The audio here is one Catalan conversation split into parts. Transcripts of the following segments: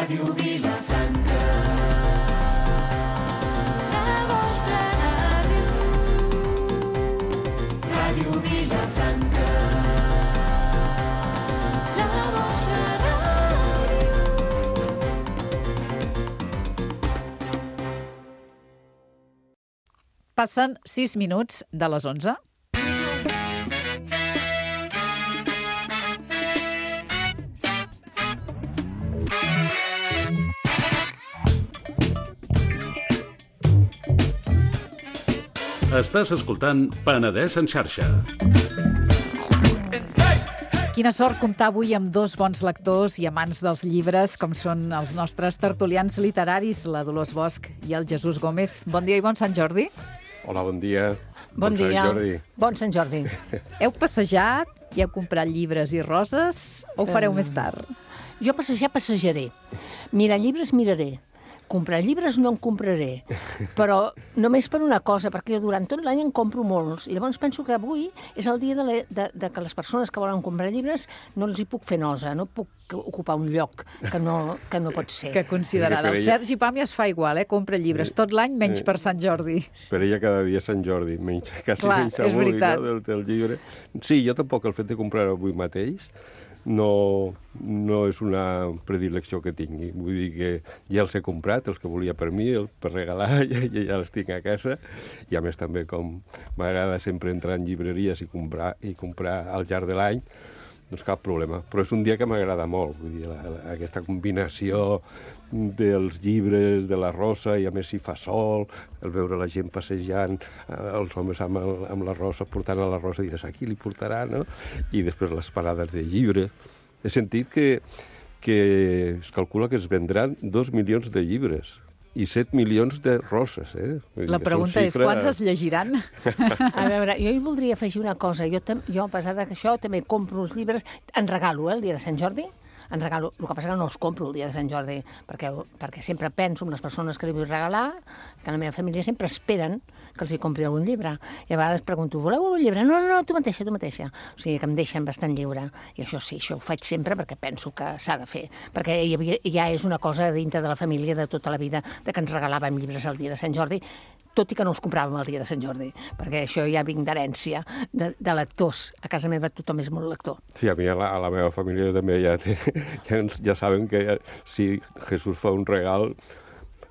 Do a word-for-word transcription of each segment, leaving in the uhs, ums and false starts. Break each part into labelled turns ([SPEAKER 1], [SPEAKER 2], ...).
[SPEAKER 1] Ràdio Vilafranca, la vostra ràdio. Ràdio Vilafranca, la vostra ràdio.
[SPEAKER 2] Passen sis minuts de les onze.
[SPEAKER 3] Estàs escoltant Penedès en xarxa.
[SPEAKER 2] Quina sort comptar avui amb dos bons lectors i amants dels llibres, com són els nostres tertulians literaris, la Dolors Bosch i el Jesús Gómez. Bon dia i bon Sant Jordi.
[SPEAKER 4] Hola, bon dia.
[SPEAKER 5] Bon, bon dia.
[SPEAKER 4] Sant Jordi.
[SPEAKER 5] Bon Sant Jordi.
[SPEAKER 2] Heu passejat i heu comprat llibres i roses o ho fareu um, més tard?
[SPEAKER 5] Jo passejar, passejaré. Mirar llibres, miraré. Comprar llibres no en compraré, però només per una cosa, perquè jo durant tot l'any en compro molts, i llavors penso que avui és el dia de, la, de, de que les persones que volen comprar llibres no els hi puc fer nosa, no puc ocupar un lloc que no, que no pot ser.
[SPEAKER 2] Que considerada. El Sergi Pàmies fa igual, eh? Compra llibres tot l'any, menys per Sant Jordi.
[SPEAKER 4] Per ella cada dia Sant Jordi, menys, quasi
[SPEAKER 2] Clar,
[SPEAKER 4] menys avui, no, del, del llibre. Sí, jo tampoc el fet de comprar avui mateix no, no és una predilecció que tingui. Vull dir que ja els he comprat, els que volia per mi, el, per regalar, ja, ja els tinc a casa. I a més també, com m'agrada sempre entrar en llibreries i comprar, i comprar al llarg de l'any, doncs cap problema. Però és un dia que m'agrada molt, vull dir, la, la, aquesta combinació dels llibres, de la rosa, i a més si fa sol, el veure la gent passejant, eh, els homes amb, el, amb la rosa, portant a la rosa, diràs, aquí li portarà, no? I després les parades de llibres. He sentit que, que es calcula que es vendran dos milions de llibres i set milions de roses, eh?
[SPEAKER 2] La pregunta és, quants es llegiran?
[SPEAKER 5] A veure, jo hi voldria afegir una cosa. Jo, jo a pesar d'això, també compro els llibres, en regalo, eh, el dia de Sant Jordi, en regalo. El que passa que no els compro el dia de Sant Jordi, perquè, perquè sempre penso en les persones que li vull regalar, que la meva família sempre esperen que els hi compri algun llibre. I a vegades pregunto, voleu un llibre? No, no, no, tu mateixa, tu mateixa. O sigui, que em deixen bastant lliure. I això sí, això ho faig sempre perquè penso que s'ha de fer. Perquè hi havia, ja és una cosa dintre de la família de tota la vida, de que ens regalàvem llibres el dia de Sant Jordi, tot i que no els compràvem el dia de Sant Jordi, perquè això ja vinc d'herència de, de lectors. A casa meva tothom és molt lector.
[SPEAKER 4] Sí, a mi a la, a la meva família també ja, té, ja, ja saben que si Jesús fa un regal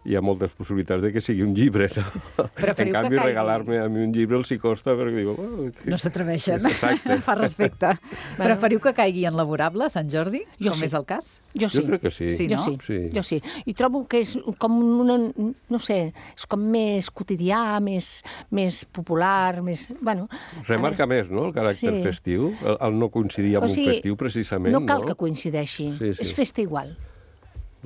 [SPEAKER 4] hi ha moltes possibilitats de que sigui un llibre, no? En canvi, regalar-me a mi un llibre els hi costa perquè diu... Oh, que...
[SPEAKER 2] No s'atreveixen. Fa respecte. Bueno. Preferiu que caigui en laborable, Sant Jordi,
[SPEAKER 5] jo
[SPEAKER 2] com
[SPEAKER 5] sí.
[SPEAKER 2] és el cas?
[SPEAKER 5] Jo sí.
[SPEAKER 4] Jo crec que sí.
[SPEAKER 2] Sí, no?
[SPEAKER 5] Jo sí.
[SPEAKER 4] Sí.
[SPEAKER 5] Jo sí. I trobo que és com una... No sé, és com més quotidià, més, més popular, més... Bueno,
[SPEAKER 4] remarca ara... més, no?, el caràcter sí. festiu, el, el no coincidir amb o sigui, un festiu, precisament.
[SPEAKER 5] No cal
[SPEAKER 4] no?
[SPEAKER 5] que coincideixi. Sí, sí. És festa igual.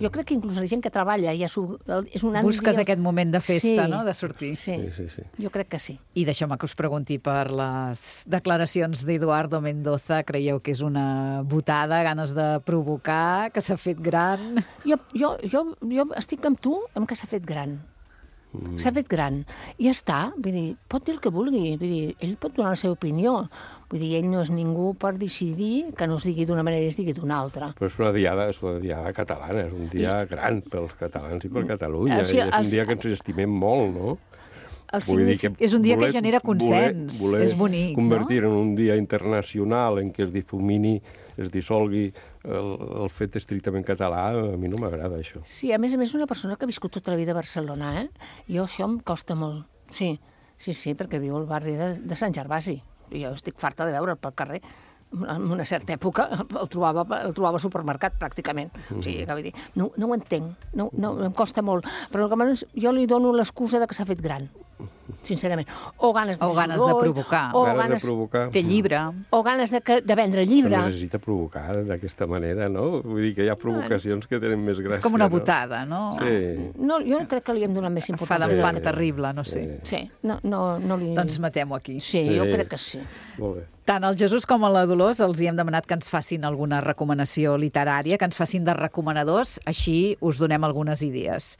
[SPEAKER 5] Jo crec que inclús la gent que treballa ja és un...
[SPEAKER 2] Busques dia... aquest moment de festa,
[SPEAKER 5] sí.
[SPEAKER 2] no?, de sortir.
[SPEAKER 5] Sí.
[SPEAKER 4] Sí, sí, sí.
[SPEAKER 5] Jo crec que sí.
[SPEAKER 2] I deixeu-me que us pregunti per les declaracions d'Eduardo Mendoza. Creieu que és una botada, ganes de provocar, que s'ha fet gran?
[SPEAKER 5] Jo, jo, jo, jo estic amb tu amb que s'ha fet gran. Mm. S'ha fet gran. I ja està. Vull dir, pot dir el que vulgui. Vull dir, ell pot donar la seva opinió. Vull dir, ell no és ningú per decidir que no es digui d'una manera i es digui d'una altra.
[SPEAKER 4] Però és una diada, és una diada catalana, és un dia I... gran pels catalans i per Catalunya.
[SPEAKER 5] O sigui,
[SPEAKER 4] és un
[SPEAKER 5] els...
[SPEAKER 4] dia que ens estimem molt, no?
[SPEAKER 5] El signific...
[SPEAKER 2] És un dia voler, que genera consens,
[SPEAKER 4] voler, voler
[SPEAKER 2] és bonic,
[SPEAKER 4] convertir
[SPEAKER 2] no?
[SPEAKER 4] en un dia internacional en què es difumini, es dissolgui el, el fet estrictament català, a mi no m'agrada això.
[SPEAKER 5] Sí, a més a més, una persona que ha viscut tota la vida a Barcelona, eh? Jo això em costa molt. Sí, sí, sí, perquè viu al barri de, de Sant Gervasi. Jo estic farta de veure'l pel carrer. En una certa època el trobava, el trobava al supermercat, pràcticament. Mm. O sigui, que vull dir, no, no ho entenc, no, no, em costa molt. Però jo li dono l'excusa de que s'ha fet gran, sincerament. O ganes de,
[SPEAKER 2] o ganes de provocar.
[SPEAKER 5] O
[SPEAKER 4] ganes,
[SPEAKER 5] ganes
[SPEAKER 4] de provocar.
[SPEAKER 2] Té llibre.
[SPEAKER 5] O ganes de, de vendre llibre.
[SPEAKER 4] No necessita provocar d'aquesta manera, no? Vull dir que hi ha provocacions que tenen més gràcia.
[SPEAKER 2] És com una botada, no?
[SPEAKER 4] no? Sí.
[SPEAKER 5] No, jo crec que li hem donat més importància.
[SPEAKER 2] Fa d'enfant terrible, no sé.
[SPEAKER 5] Sí, sí. No, no, no li...
[SPEAKER 2] Doncs matem-ho aquí.
[SPEAKER 5] Sí, jo sí. crec que sí.
[SPEAKER 4] Molt bé.
[SPEAKER 2] Tant al Jesús com a la Dolors els hi hem demanat que ens facin alguna recomanació literària, que ens facin de recomanadors, així us donem algunes idees.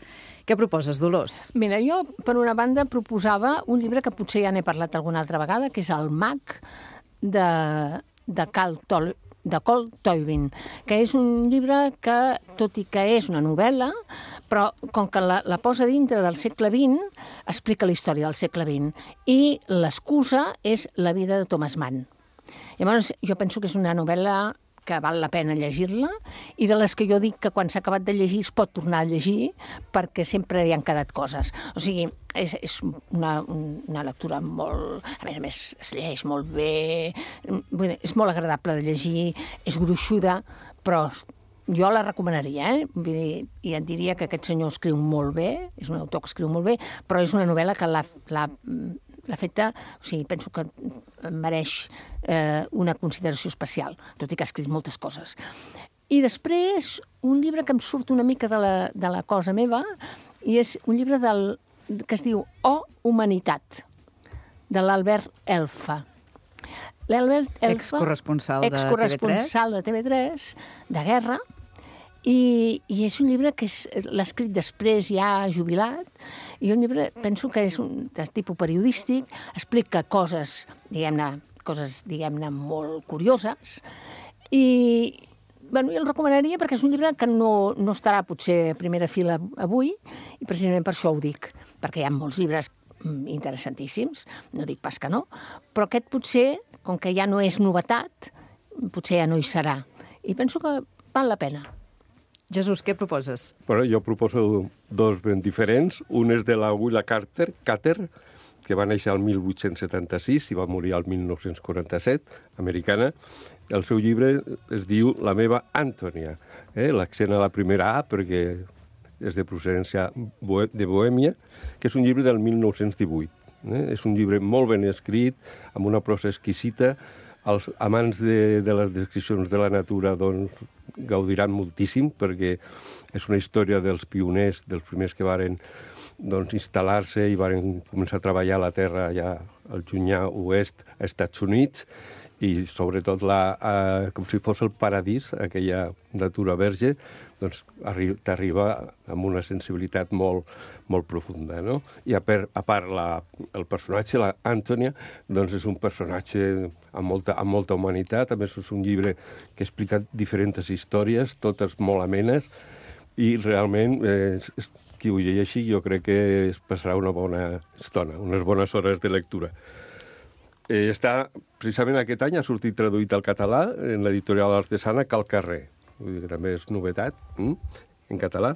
[SPEAKER 2] Què proposes, Dolors?
[SPEAKER 5] Mira, jo, per una banda, proposava un llibre que potser ja n'he parlat alguna altra vegada, que és El mag, de, de Cal Tol, de Col Toivin, que és un llibre que, tot i que és una novel·la, però com que la, la posa dintre del segle vint, explica la història del segle vint, i l'excusa és la vida de Thomas Mann. Llavors, jo penso que és una novel·la que val la pena llegir-la, i de les que jo dic que quan s'ha acabat de llegir es pot tornar a llegir, perquè sempre hi han quedat coses. O sigui, és, és una, una lectura molt... A més a més, es llegeix molt bé, vull dir, és molt agradable de llegir, és gruixuda, però jo la recomanaria, eh? Vull dir, i et diria que aquest senyor escriu molt bé, és un autor que escriu molt bé, però és una novel·la que l'ha... l'ha l'ha feta, o sigui, penso que mereix eh, una consideració especial, tot i que ha escrit moltes coses. I després, un llibre que em surt una mica de la, de la cosa meva, i és un llibre del, que es diu O Humanitat, de l'Albert Elfa. L'Albert Elfa,
[SPEAKER 2] excorresponsal de
[SPEAKER 5] excorresponsal de T V tres, de guerra, i, i és un llibre que l'ha escrit després, ja jubilat, i un llibre, penso que és un de tipus periodístic, explica coses, diguem-ne, coses, diguem-ne, molt curioses, i, bueno, jo el recomanaria perquè és un llibre que no, no estarà potser a primera fila avui, i precisament per això ho dic, perquè hi ha molts llibres interessantíssims, no dic pas que no, però aquest potser, com que ja no és novetat, potser ja no hi serà. I penso que val la pena.
[SPEAKER 2] Jesús, què proposes?
[SPEAKER 4] Bueno, jo proposo dos ben diferents. Un és de la Willa Carter, Carter, que va néixer el mil vuit-cents setanta-sis i va morir el mil nou-cents quaranta-set, americana. El seu llibre es diu La meva Antònia. Eh? L'accent a la primera A, perquè és de procedència de Bohèmia, que és un llibre del mil nou-cents divuit. Eh? És un llibre molt ben escrit, amb una prosa exquisita. Els amants de, de les descripcions de la natura doncs, gaudiran moltíssim, perquè és una història dels pioners, dels primers que varen doncs, instal·lar-se i varen començar a treballar a la terra ja al llunyà oest, als Estats Units, i sobretot la, eh, com si fos el paradís, aquella natura verge, doncs t'arriba amb una sensibilitat molt, molt profunda, no? I a, per, a part, la, el personatge, la Antònia, doncs és un personatge amb molta, amb molta humanitat. A més, és un llibre que explica diferents històries, totes molt amenes, i realment, eh, qui ho llegeixi, jo crec que es passarà una bona estona, unes bones hores de lectura. Eh, està, precisament aquest any, ha sortit traduït al català en l'editorial artesana Cal Carrer. Vull dir que també és novetat, hm? En català,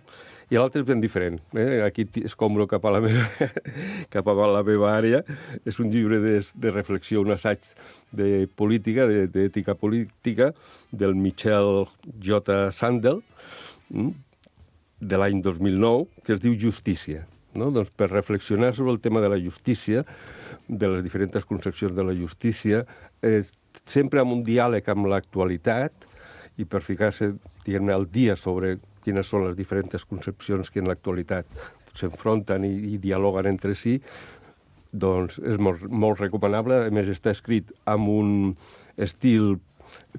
[SPEAKER 4] i l'altre és ben diferent. Eh? Aquí escombro cap a la meva, cap a la meva àrea. És un llibre de, de reflexió, un assaig de política, d'ètica política, del Michel J. Sandel, hm? de l'any dos mil nou, que es diu Justícia. No? Doncs per reflexionar sobre el tema de la justícia, de les diferents concepcions de la justícia, eh, sempre amb un diàleg amb l'actualitat, i per ficar-se, diguem-ne, al dia sobre quines són les diferents concepcions que en l'actualitat s'enfronten i, i dialoguen entre si, doncs és molt, molt recomanable. A més, està escrit amb un estil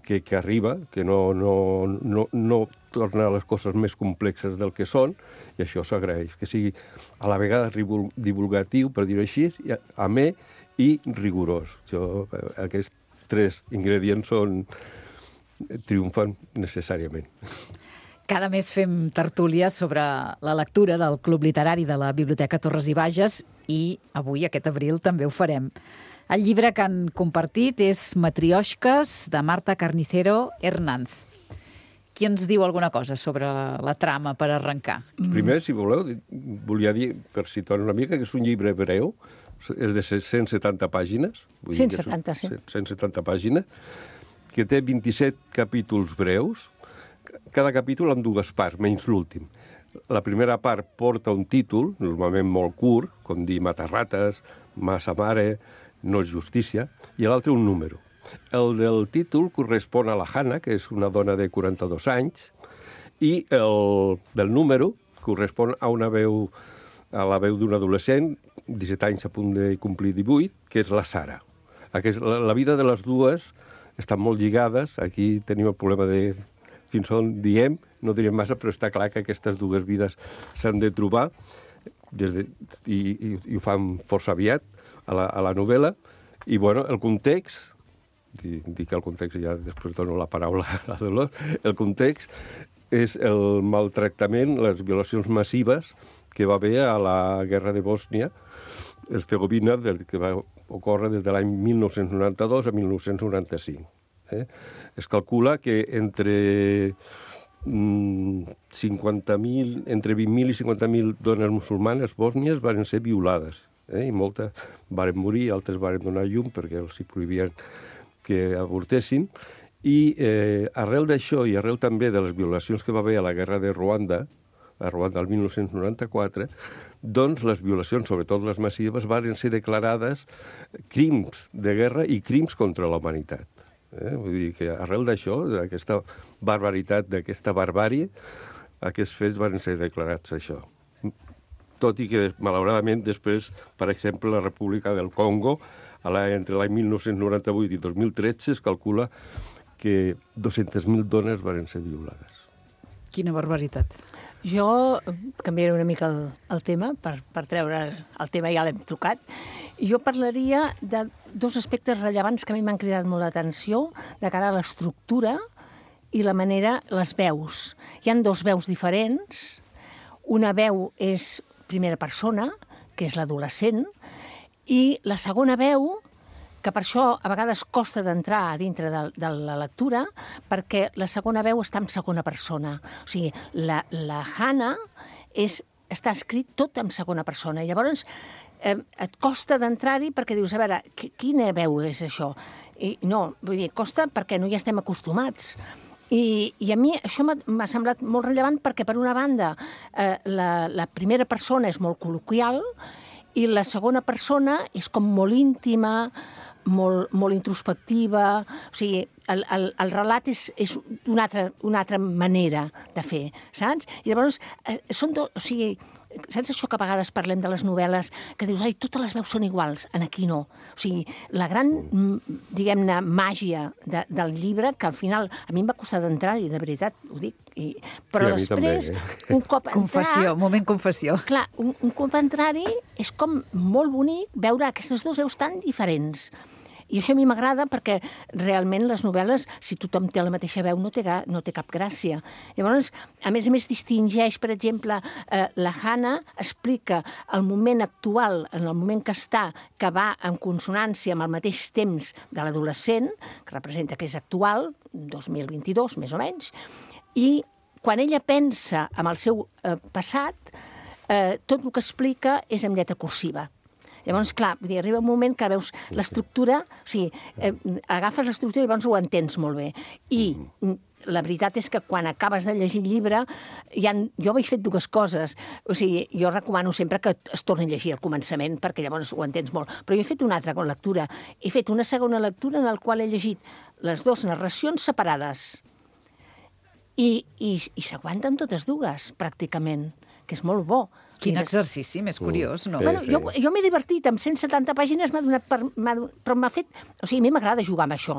[SPEAKER 4] que, que arriba, que no, no, no, no torna les coses més complexes del que són, i això s'agraeix, que sigui a la vegada divulgatiu, per dir-ho així, amè i rigorós. Jo, aquests tres ingredients són triomfen necessàriament.
[SPEAKER 2] Cada mes fem tertúlies sobre la lectura del Club Literari de la Biblioteca Torres i Bages, i avui, aquest abril, també ho farem. El llibre que han compartit és Matrioshkas, de Marta Carnicero Hernández. Qui ens diu alguna cosa sobre la trama per arrencar?
[SPEAKER 4] Primer, si voleu, volia dir, per situar una mica, que és un llibre breu, és de cent setanta pàgines.
[SPEAKER 5] cent setanta, sí.
[SPEAKER 4] cent setanta pàgines, que té vint-i-set capítols breus, cada capítol amb dues parts, menys l'últim. La primera part porta un títol, normalment molt curt, com dir Matarrates, Massa Mare, No és justícia, i l'altre un número. El del títol correspon a la Hanna, que és una dona de quaranta-dos anys, i el del número correspon a una veu, a la veu d'un adolescent, disset anys a punt de complir divuit, que és la Sara. Aquest, la, la vida de les dues estan molt lligades. Aquí tenim el problema de fins on diem, no direm massa, però està clar que aquestes dues vides s'han de trobar des de, i, i, i ho fan força aviat a la, a la novel·la. I, bueno, el context dic el context i ja després dono la paraula a Dolors. El context és el maltractament, les violacions massives que va haver a la guerra de Bòsnia, Hercegovina, que va ocórrer des de l'any mil nou-cents noranta-dos a mil nou-cents noranta-cinc. Eh? Es calcula que entre cinquanta mil, entre vint mil i cinquanta mil dones musulmanes bòsnies van ser violades. Eh? I moltes varen morir, altres varen donar llum perquè els hi prohibien que avortessin. I eh, arrel d'això i arrel també de les violacions que va haver a la guerra de Ruanda, a Ruanda el mil nou-cents noranta-quatre, doncs les violacions, sobretot les massives, van ser declarades crims de guerra i crims contra la humanitat. Eh? Vull dir que arrel d'això, d'aquesta barbaritat, d'aquesta barbàrie, aquests fets van ser declarats això. Tot i que, malauradament, després, per exemple, la República del Congo, a la, entre l'any mil nou-cents noranta-vuit i dos mil tretze, es calcula que dues-centes mil dones van ser violades.
[SPEAKER 2] Quina barbaritat.
[SPEAKER 5] Jo canviaré una mica el, el tema, per, per treure el tema, ja l'hem tocat. Jo parlaria de dos aspectes rellevants que a mi m'han cridat molt l'atenció de cara a l'estructura i la manera, les veus. Hi han dos veus diferents. Una veu és primera persona, que és l'adolescent, i la segona veu, que per això a vegades costa d'entrar a dintre de, de la lectura, perquè la segona veu està en segona persona. O sigui, la, la Hannah és, està escrit tot en segona persona. I llavors eh, et costa d'entrar-hi perquè dius, a veure, quina veu és això? I no, vull dir, costa perquè no hi estem acostumats. I, i a mi això m'ha semblat molt rellevant perquè, per una banda, eh, la, la primera persona és molt col·loquial i la segona persona és com molt íntima, molt, molt introspectiva. O sigui, el, el, el relat és, és una, altra, una altra manera de fer, saps? I llavors, eh, són do, o sigui, saps això que a vegades parlem de les novel·les, que dius, ai, totes les veus són iguals, en aquí no. O sigui, la gran, diguem-ne, màgia de, del llibre, que al final a mi em va costar d'entrar-hi, de veritat, ho dic, i, però
[SPEAKER 4] sí,
[SPEAKER 5] després,
[SPEAKER 4] també, eh?
[SPEAKER 5] un cop entrar...
[SPEAKER 2] Confessió, moment confessió.
[SPEAKER 5] Clar, un, un cop entrar-hi és com molt bonic veure aquestes dues veus tan diferents. I això a mi m'agrada perquè realment les novel·les, si tothom té la mateixa veu, no té, no té cap gràcia. Llavors, a més a més, distingeix, per exemple, eh, la Hannah explica el moment actual, en el moment que està, que va en consonància amb el mateix temps de l'adolescent, que representa que és actual, dos mil vint-i-dos, més o menys, i quan ella pensa en el seu eh, passat, eh, tot el que explica és en lletra cursiva. Llavors, clar, vull dir, arriba un moment que veus l'estructura, o sigui, eh, agafes l'estructura i llavors ho entens molt bé. I la veritat és que quan acabes de llegir el llibre, hi ha, jo vaig fet dues coses. O sigui, jo recomano sempre que es torni a llegir al començament, perquè llavors ho entens molt. Però jo he fet una altra lectura. He fet una segona lectura en la qual he llegit les dues narracions separades. I, i, i s'aguanten totes dues, pràcticament, que és molt bo.
[SPEAKER 2] Quin exercici més curiós, no?
[SPEAKER 4] Sí,
[SPEAKER 5] Bueno,
[SPEAKER 4] sí.
[SPEAKER 5] jo, jo m'he divertit, amb cent setanta pàgines m'ha donat per, m'ha, però m'ha fet... O sigui, a mi m'agrada jugar amb això.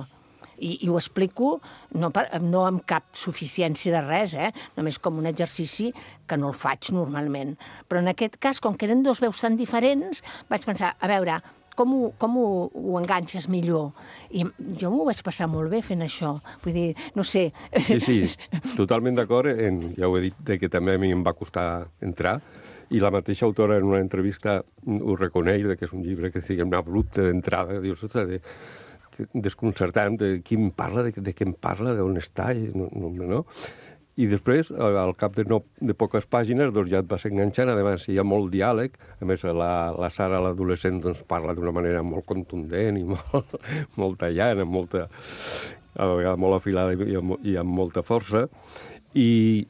[SPEAKER 5] I, i ho explico no, per, no amb cap suficiència de res, eh? Només com un exercici que no el faig normalment. Però en aquest cas, com que eren dos veus tan diferents, vaig pensar, a veure, com ho, com ho, ho enganxes millor? I jo m'ho vaig passar molt bé fent això. Vull dir, no sé...
[SPEAKER 4] Sí, sí, totalment d'acord. En, ja ho he dit, de que també a mi em va costar entrar. I la mateixa autora en una entrevista ho reconeix, de que és un llibre que diguem abrupte d'entrada, dius, ostres, de, desconcertant, de qui em parla, de, de què em parla, d'on està, no, no, no. I després, al cap de, no, de poques pàgines, doncs ja et vas enganxant, a més hi ha molt diàleg, a més la, la Sara, l'adolescent, doncs parla d'una manera molt contundent i molt, molt tallant, amb molta, a vegades molt afilada i amb, i amb molta força, i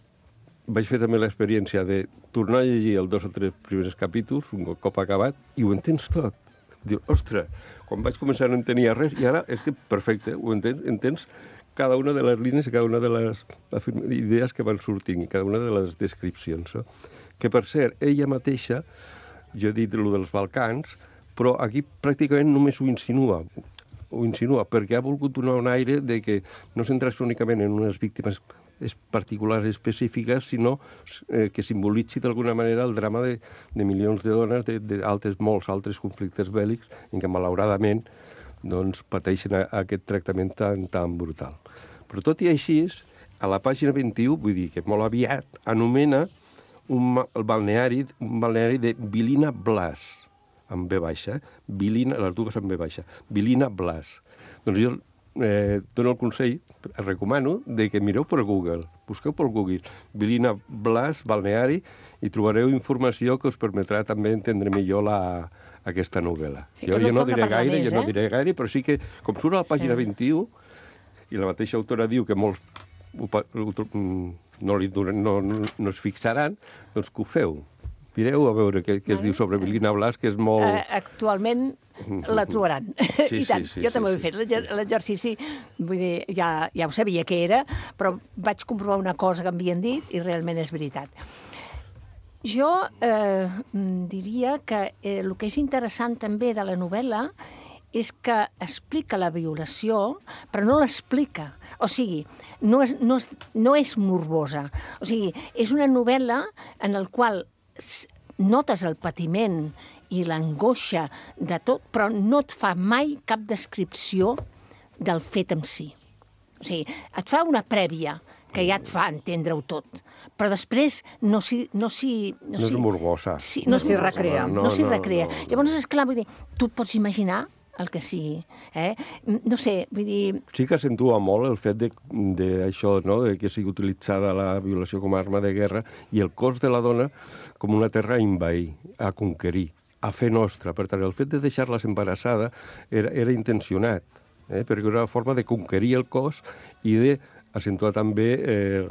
[SPEAKER 4] vaig fer també l'experiència de tornar a llegir els dos o tres primers capítols, un cop acabat, i ho entens tot. Dius, ostres, quan vaig començar no entenia res, i ara és que perfecte, ho entens, entens cada una de les línies i cada una de les idees que van sortint, i cada una de les descripcions. No? Que, per cert, ella mateixa, jo he dit el dels Balcans, però aquí pràcticament només ho insinua, ho insinua, perquè ha volgut donar un aire de que no centrar-se únicament en unes víctimes particulars específiques, sinó eh, que simbolitzi d'alguna manera el drama de, de milions de dones d'altres, molts altres conflictes bèl·lics en què, malauradament, doncs, pateixen a, a aquest tractament tan, tan brutal. Però tot i així, a la pàgina vint-i-u, vull dir que molt aviat, anomena un, ma- el balneari, un balneari de Vilina Blas, amb B baixa, Vilina, les dues amb B baixa, Vilina Blas. Doncs jo eh, dono el consell, el recomano, de que mireu per Google, busqueu per Google, Vilina Blas, balneari, i trobareu informació que us permetrà també entendre millor la, aquesta novel·la.
[SPEAKER 5] Sí,
[SPEAKER 4] jo,
[SPEAKER 5] que no
[SPEAKER 4] jo no
[SPEAKER 5] torna
[SPEAKER 4] diré
[SPEAKER 5] a parlar
[SPEAKER 4] gaire,
[SPEAKER 5] més,
[SPEAKER 4] jo no
[SPEAKER 5] eh?
[SPEAKER 4] diré gaire, però sí que, com surt a la pàgina
[SPEAKER 5] Sí.
[SPEAKER 4] vint-i-u, i la mateixa autora diu que molts ho, pa- ho, tro- mm, no, li duren, no, no, no es fixaran, doncs que ho feu. Mireu a veure què, què es diu sobre Vilina Blas, que és molt...
[SPEAKER 5] Eh, actualment la trobaran.
[SPEAKER 4] Sí,
[SPEAKER 5] I tant,
[SPEAKER 4] sí, sí,
[SPEAKER 5] jo també
[SPEAKER 4] sí,
[SPEAKER 5] ho he
[SPEAKER 4] sí.
[SPEAKER 5] fet. L'exer- L'exercici, vull dir, ja, ja ho sabia què era, però vaig comprovar una cosa que m'havien dit i realment és veritat. Jo eh, mm, diria que eh, el que és interessant també de la novel·la és que explica la violació, però no l'explica. O sigui, no és, no, és, no és morbosa. O sigui, és una novel·la en el qual s- notes el patiment i l'angoixa de tot, però no et fa mai cap descripció del fet en si. O sigui, et fa una prèvia que ja et fa entendre-ho tot, però després no s'hi... No, s'hi-
[SPEAKER 4] No és morbosa.
[SPEAKER 5] Sí,
[SPEAKER 2] No
[SPEAKER 5] és
[SPEAKER 2] s'hi
[SPEAKER 5] morbosa.
[SPEAKER 2] recrea.
[SPEAKER 5] No,
[SPEAKER 4] No,
[SPEAKER 5] s'hi
[SPEAKER 4] no,
[SPEAKER 5] recrea.
[SPEAKER 4] no, no.
[SPEAKER 5] Llavors, esclar, vull dir, tu et pots imaginar el que sigui. Eh? No sé, vull dir...
[SPEAKER 4] Sí que accentua molt el fet de, de això, no? De que sigui utilitzada la violació com a arma de guerra i el cos de la dona com una terra a invair, a conquerir, a fer nostra. Per tant, el fet de deixar-la embarassada era, era intencionat, eh? perquè era una forma de conquerir el cos i de accentuar també eh,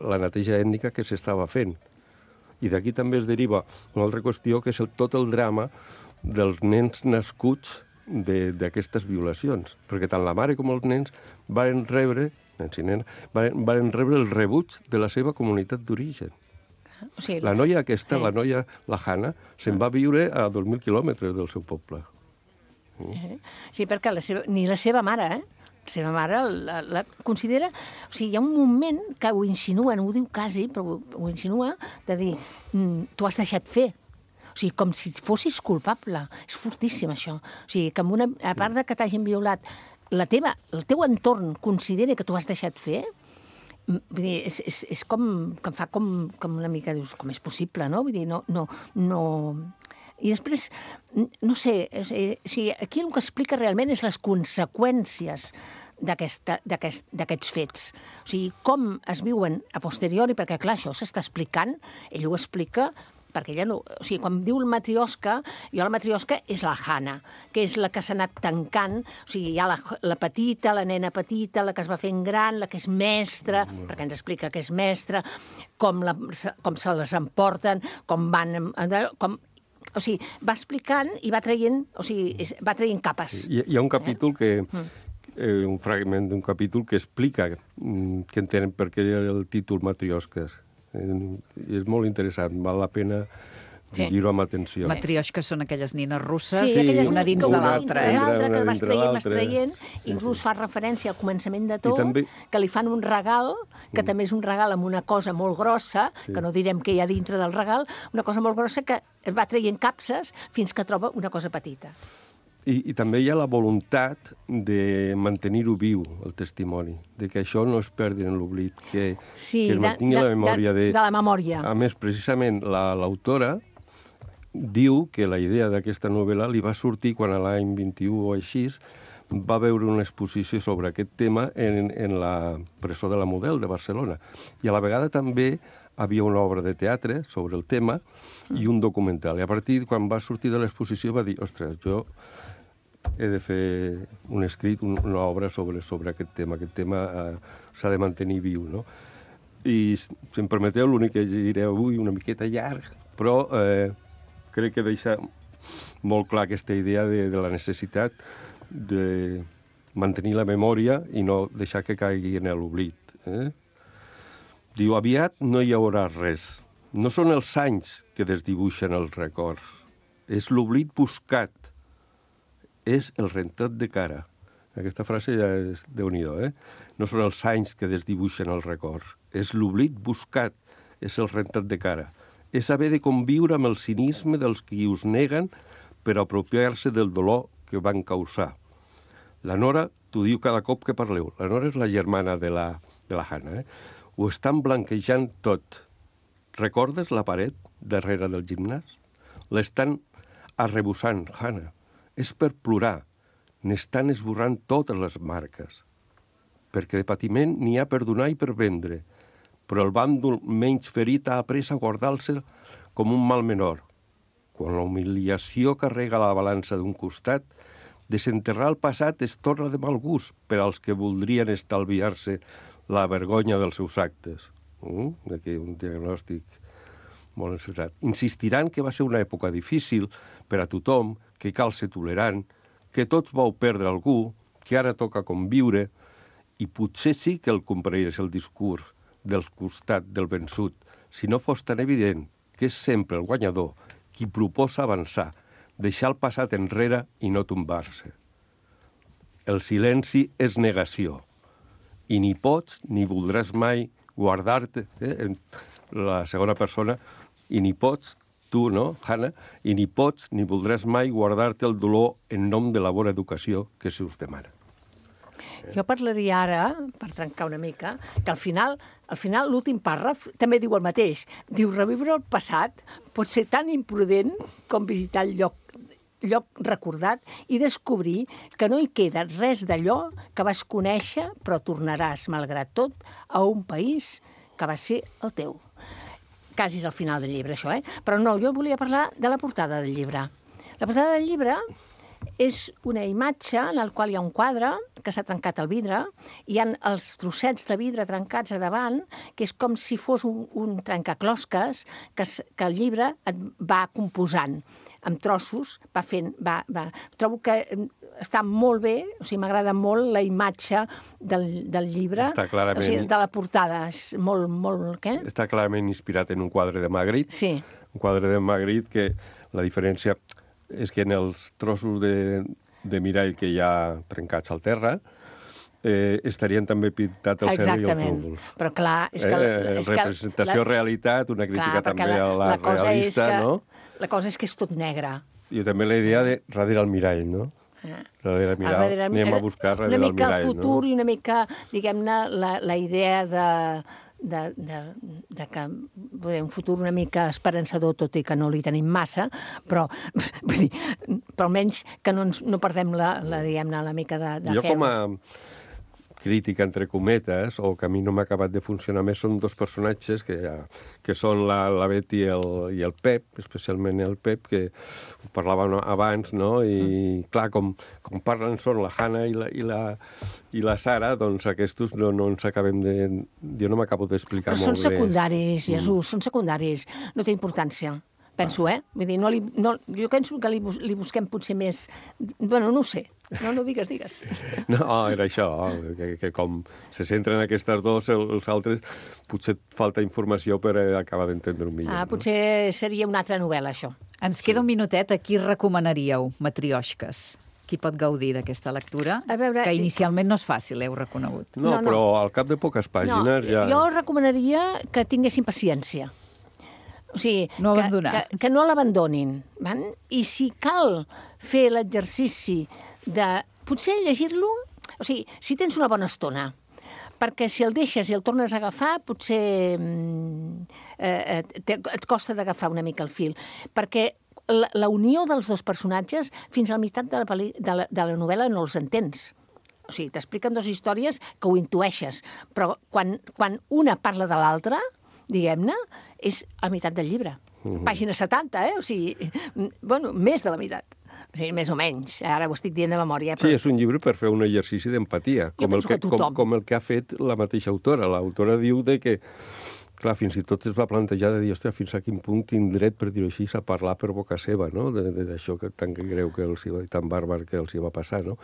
[SPEAKER 4] la neteja ètnica que s'estava fent. I d'aquí també es deriva una altra qüestió, que és el, tot el drama dels nens nascuts de- d'aquestes violacions, perquè tant la mare com els nens varen rebre, nens i nenes, varen, varen rebre el rebuig de la seva comunitat d'origen.
[SPEAKER 5] O sigui,
[SPEAKER 4] La noia aquesta,
[SPEAKER 5] Sí.
[SPEAKER 4] la noia, la Hanna, se'n va viure a dos mil quilòmetres del seu poble.
[SPEAKER 5] Eh? Sí, perquè la seva, ni la seva mare, eh? La seva mare la, la considera... O sigui, hi ha un moment que ho insinua, no ho diu quasi, però ho, ho insinua, de dir, mm, tu has deixat fer. O sigui, com si fossis culpable. És fortíssim, això. O sigui, que amb una, a part de que t'hagin violat, la teva, el teu entorn considera que tu has deixat fer, mm, vull dir, és, és, és com, que em fa com, com una mica, dius, com és possible, no? Vull dir, no... no, no... I després, n- no sé, o sigui, o sigui, aquí el que explica realment és les conseqüències d'aquesta- d'aquest- d'aquests fets. O sigui, com es viuen a posteriori, perquè, clar, això s'està explicant, ell ho explica perquè ella no... O sigui, quan diu el matriosca, jo la matriosca és la Hanna, que és la que s'ha anat tancant, o sigui, hi ha la, la petita, la nena petita, la que es va fent gran, la que és mestra, perquè ens explica que és mestra, com, la, com se les emporten, com van... Com, o sigui, va explicant i va traient, o sigui, és, va traient capes.
[SPEAKER 4] Hi, hi ha un capítol que... Eh, un fragment d'un capítol que explica mm, que entenen per què el títol Matriosques. Eh, és molt interessant, val la pena
[SPEAKER 5] Sí.
[SPEAKER 4] llegir-ho amb atenció.
[SPEAKER 2] Matrioshques són aquelles nines russes,
[SPEAKER 5] Sí, aquelles
[SPEAKER 2] una dins
[SPEAKER 5] que
[SPEAKER 2] de
[SPEAKER 5] una
[SPEAKER 2] l'altra,
[SPEAKER 5] dintre
[SPEAKER 2] eh?
[SPEAKER 5] de l'altra, que
[SPEAKER 4] Una
[SPEAKER 5] vas
[SPEAKER 4] dintre
[SPEAKER 5] traient, vas
[SPEAKER 4] l'altra.
[SPEAKER 5] traient,
[SPEAKER 4] Sí,
[SPEAKER 5] inclús
[SPEAKER 4] sí.
[SPEAKER 5] fa referència al començament de tot,
[SPEAKER 4] també-
[SPEAKER 5] que li fan un regal, que també és un regal amb una cosa molt grossa,
[SPEAKER 4] Sí.
[SPEAKER 5] que no direm què hi ha dintre del regal, una cosa molt grossa que va traient capses fins que troba una cosa petita.
[SPEAKER 4] I, I també hi ha la voluntat de mantenir-ho viu, el testimoni, de que això no es perdi en l'oblit, que,
[SPEAKER 5] Sí,
[SPEAKER 4] que es
[SPEAKER 5] de-
[SPEAKER 4] mantingui
[SPEAKER 5] de-
[SPEAKER 4] la memòria.
[SPEAKER 5] de- de la memòria.
[SPEAKER 4] A més, precisament, la- l'autora diu que la idea d'aquesta novel·la li va sortir quan a l'any vint-i-u o així va veure una exposició sobre aquest tema en, en la presó de la Model de Barcelona. I a la vegada també havia una obra de teatre sobre el tema i un documental. I a partir, quan va sortir de l'exposició, va dir, ostres, jo he de fer un escrit, un, una obra sobre, sobre aquest tema. Aquest tema eh, s'ha de mantenir viu, no? I, si em permeteu, l'únic que llegiré avui, una miqueta llarg, però eh, crec que deixa molt clar aquesta idea de, de la necessitat de mantenir la memòria i no deixar que caigui en l'oblit. Eh? Diu, aviat no hi haurà res. No són els anys que desdibuixen els records. És l'oblit buscat. És el rentat de cara. Aquesta frase ja és déu-n'hi-do, eh? No són els anys que desdibuixen els records. És l'oblit buscat. És el rentat de cara. És haver de conviure amb el cinisme dels qui us neguen per apropiar-se del dolor que van causar. La Nora t'ho diu cada cop que parleu. La Nora és la germana de la, de la Hannah. Eh? Ho estan blanquejant tot. Recordes la paret darrere del gimnàs? L'estan arrebossant, Hannah. És per plorar. N'estan esborrant totes les marques. Perquè de patiment n'hi ha per donar i per vendre. Però el bàndol menys ferit ha après a guardar-se'l com un mal menor. Quan la humiliació carrega la balança d'un costat, desenterrar el passat es torna de mal gust per als que voldrien estalviar-se la vergonya dels seus actes. Uh, aquí un diagnòstic molt encertat. Insistiran que va ser una època difícil per a tothom, que cal ser tolerant, que tots vau perdre algú, que ara toca conviure, i potser sí que el compraries el discurs del costat del vençut, si no fos tan evident que és sempre el guanyador qui proposa avançar, deixar el passat enrere i no tombar-se. El silenci és negació, i ni pots ni voldràs mai guardar-te, eh, en la segona persona, i ni pots, tu, no, Hannah, i ni pots ni voldràs mai guardar-te el dolor en nom de la bona educació que se us demana.
[SPEAKER 5] Jo parlaria ara, per trencar una mica, que al final, al final l'últim pàrraf també diu el mateix. Diu, reviure el passat pot ser tan imprudent com visitar el lloc, lloc recordat i descobrir que no hi queda res d'allò que vas conèixer, però tornaràs, malgrat tot, a un país que va ser el teu. Quasi és al final del llibre, això, eh? Però no, jo volia parlar de la portada del llibre. La portada del llibre és una imatge en la qual hi ha un quadre que s'ha trencat el vidre, hi ha els trossets de vidre trencats a davant, que és com si fos un, un trencaclosques que, que el llibre et va composant amb trossos, va fent... Va, va. Trobo que està molt bé, o sigui, m'agrada molt la imatge del, del llibre,
[SPEAKER 4] està clarament...
[SPEAKER 5] o sigui, de la portada, és molt, molt... Què?
[SPEAKER 4] Està clarament inspirat en un quadre de Magritte,
[SPEAKER 5] sí.
[SPEAKER 4] Un quadre de Magritte que la diferència és que en els trossos de, de mirall que hi ha trencats al terra eh, estarien també pintats el cel i els núvols.
[SPEAKER 5] Però clar, és que...
[SPEAKER 4] Eh,
[SPEAKER 5] és
[SPEAKER 4] representació-realitat, una crítica
[SPEAKER 5] clar,
[SPEAKER 4] també
[SPEAKER 5] la,
[SPEAKER 4] a la,
[SPEAKER 5] la cosa
[SPEAKER 4] realista,
[SPEAKER 5] és que,
[SPEAKER 4] no?
[SPEAKER 5] La cosa és que és tot negre.
[SPEAKER 4] I també la idea de darrere el mirall, no?
[SPEAKER 5] Ah.
[SPEAKER 4] Darrere el mirall,
[SPEAKER 5] darrere,
[SPEAKER 4] anem a buscar darrere el mirall, no?
[SPEAKER 5] Una mica el futur no? I una mica, diguem-ne, la, la idea de... De, de, de que bé, un futur una mica esperançador, tot i que no li tenim massa, però, vull dir, però almenys que no, ens, no perdem la, la, diguem-ne, la mica de, de
[SPEAKER 4] jo
[SPEAKER 5] feus.
[SPEAKER 4] Com a crítica, entre cometes, o que a mi no m'ha acabat de funcionar més, són dos personatges que, que són la, la Betty i el, i el Pep, especialment el Pep, que ho parlàvem abans, no? I, mm. clar, com, com parlen són la Hannah i la, i la, i la Sara, doncs aquests no, no ens acabem de... Jo no m'acabo d'explicar molt bé.
[SPEAKER 5] Però són secundaris, Jesús, mm. són secundaris. No té importància. Penso, eh? Vull dir, no li, no, jo penso que li, li busquem potser més... Bueno, no ho sé. No, no digues, digues.
[SPEAKER 4] No, era això, que, que com se centren aquestes dos, els altres, potser falta informació per acabar d'entendre-ho millor.
[SPEAKER 5] Ah, potser no? Seria una altra novel·la, això.
[SPEAKER 2] Ens queda un minutet. A qui recomanaríeu Matrioshques? Qui pot gaudir d'aquesta lectura?
[SPEAKER 5] A veure,
[SPEAKER 2] que inicialment no és fàcil, heu reconegut.
[SPEAKER 4] No, no, no. Però al cap de poques pàgines
[SPEAKER 5] no,
[SPEAKER 4] ja...
[SPEAKER 5] Jo recomanaria que tinguessin paciència. O sigui,
[SPEAKER 2] no
[SPEAKER 5] que,
[SPEAKER 2] abandonar.
[SPEAKER 5] que, que no l'abandonin. I si cal fer l'exercici de potser llegir-lo, o sigui, si tens una bona estona, perquè si el deixes i el tornes a agafar, potser eh, et, et costa d'agafar una mica el fil. Perquè la, la unió dels dos personatges, fins a la meitat de la, peli, de la, de la novel·la no els entens. O sigui, t'expliquen dues històries que ho intueixes, però quan, quan una parla de l'altra, diguem-ne, és a meitat del llibre. Uh-huh. Pàgina setanta, eh? O sigui, bueno, més de la meitat. O sigui, més o menys. Ara ho estic dient de memòria. Però...
[SPEAKER 4] Sí, és un llibre per fer un exercici d'empatia, com, el que,
[SPEAKER 5] que
[SPEAKER 4] com, com el que ha fet la mateixa autora. L'autora diu de que, clar, fins i tot es va plantejar de dir, hòstia, fins a quin punt tinc dret, per dir-ho així, a parlar per boca seva, no?, d'això que tan greu que els hi va, tan bàrbar que els hi va passar, no?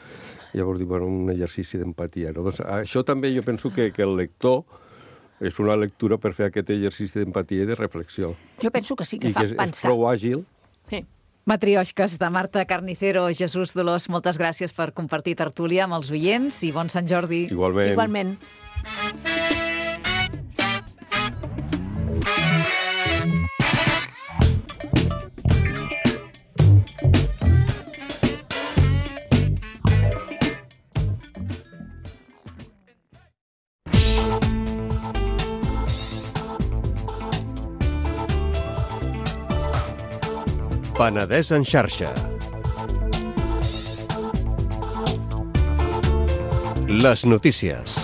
[SPEAKER 4] Llavors, diu, bueno, un exercici d'empatia, no? Doncs això també jo penso que, que el lector és una lectura per fer aquest exercici d'empatia i de reflexió.
[SPEAKER 5] Jo penso que sí que
[SPEAKER 4] I
[SPEAKER 5] fa
[SPEAKER 4] que és,
[SPEAKER 5] pensar.
[SPEAKER 4] és prou àgil.
[SPEAKER 5] Sí.
[SPEAKER 2] Matrioshques, de Marta Carnicero. Jesús Dolors, moltes gràcies per compartir tertúlia amb els oients i bon Sant Jordi.
[SPEAKER 4] Igualment.
[SPEAKER 5] Igualment.
[SPEAKER 6] Penedès en xarxa. Les notícies.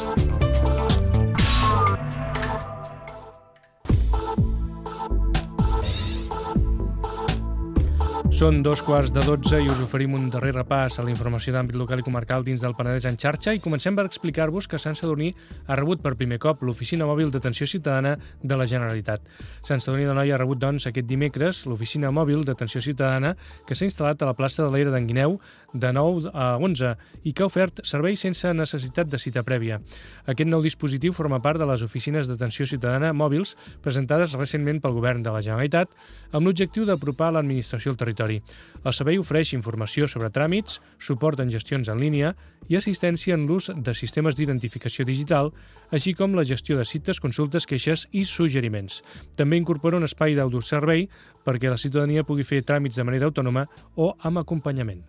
[SPEAKER 7] Són dos quarts de dotze i us oferim un darrer repàs a la informació d'àmbit local i comarcal dins del Penedès en xarxa i comencem per explicar-vos que Sant Sadurní ha rebut per primer cop l'Oficina Mòbil d'Atenció Ciutadana de la Generalitat. Sant Sadurní d'Anoia ha rebut, doncs, aquest dimecres l'Oficina Mòbil d'Atenció Ciutadana que s'ha instal·lat a la plaça de l'Era d'en Guineu de nou a onze i que ha ofert serveis sense necessitat de cita prèvia. Aquest nou dispositiu forma part de les oficines d'atenció ciutadana mòbils presentades recentment pel Govern de la Generalitat amb l'objectiu d'apropar l'administració al territori. El servei ofereix informació sobre tràmits, suport en gestions en línia i assistència en l'ús de sistemes d'identificació digital, així com la gestió de cites, consultes, queixes i suggeriments. També incorpora un espai d'autoservei perquè la ciutadania pugui fer tràmits de manera autònoma o amb acompanyament.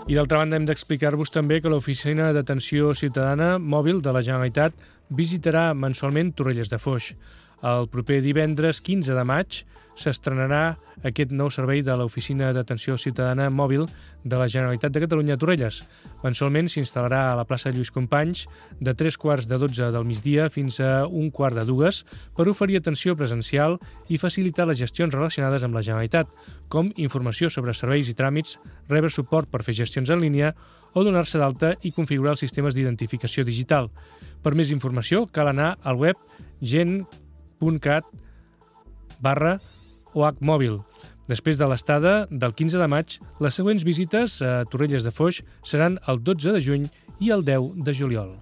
[SPEAKER 7] I d'altra banda hem d'explicar-vos també que l'Oficina d'Atenció Ciutadana Mòbil de la Generalitat visitarà mensualment Torrelles de Foix. El proper divendres quinze de maig s'estrenarà aquest nou servei de l'Oficina d'Atenció Ciutadana Mòbil de la Generalitat de Catalunya a Torrelles. Mensualment s'instal·larà a la plaça Lluís Companys de tres quarts de dotze del migdia fins a un quart de dues per oferir atenció presencial i facilitar les gestions relacionades amb la Generalitat, com informació sobre serveis i tràmits, rebre suport per fer gestions en línia o donar-se d'alta i configurar els sistemes d'identificació digital. Per més informació cal anar al web gen punt cat barra o hac mòbil. Després de l'estada del quinze de maig, les següents visites a Torrelles de Foix seran el dotze de juny i el deu de juliol.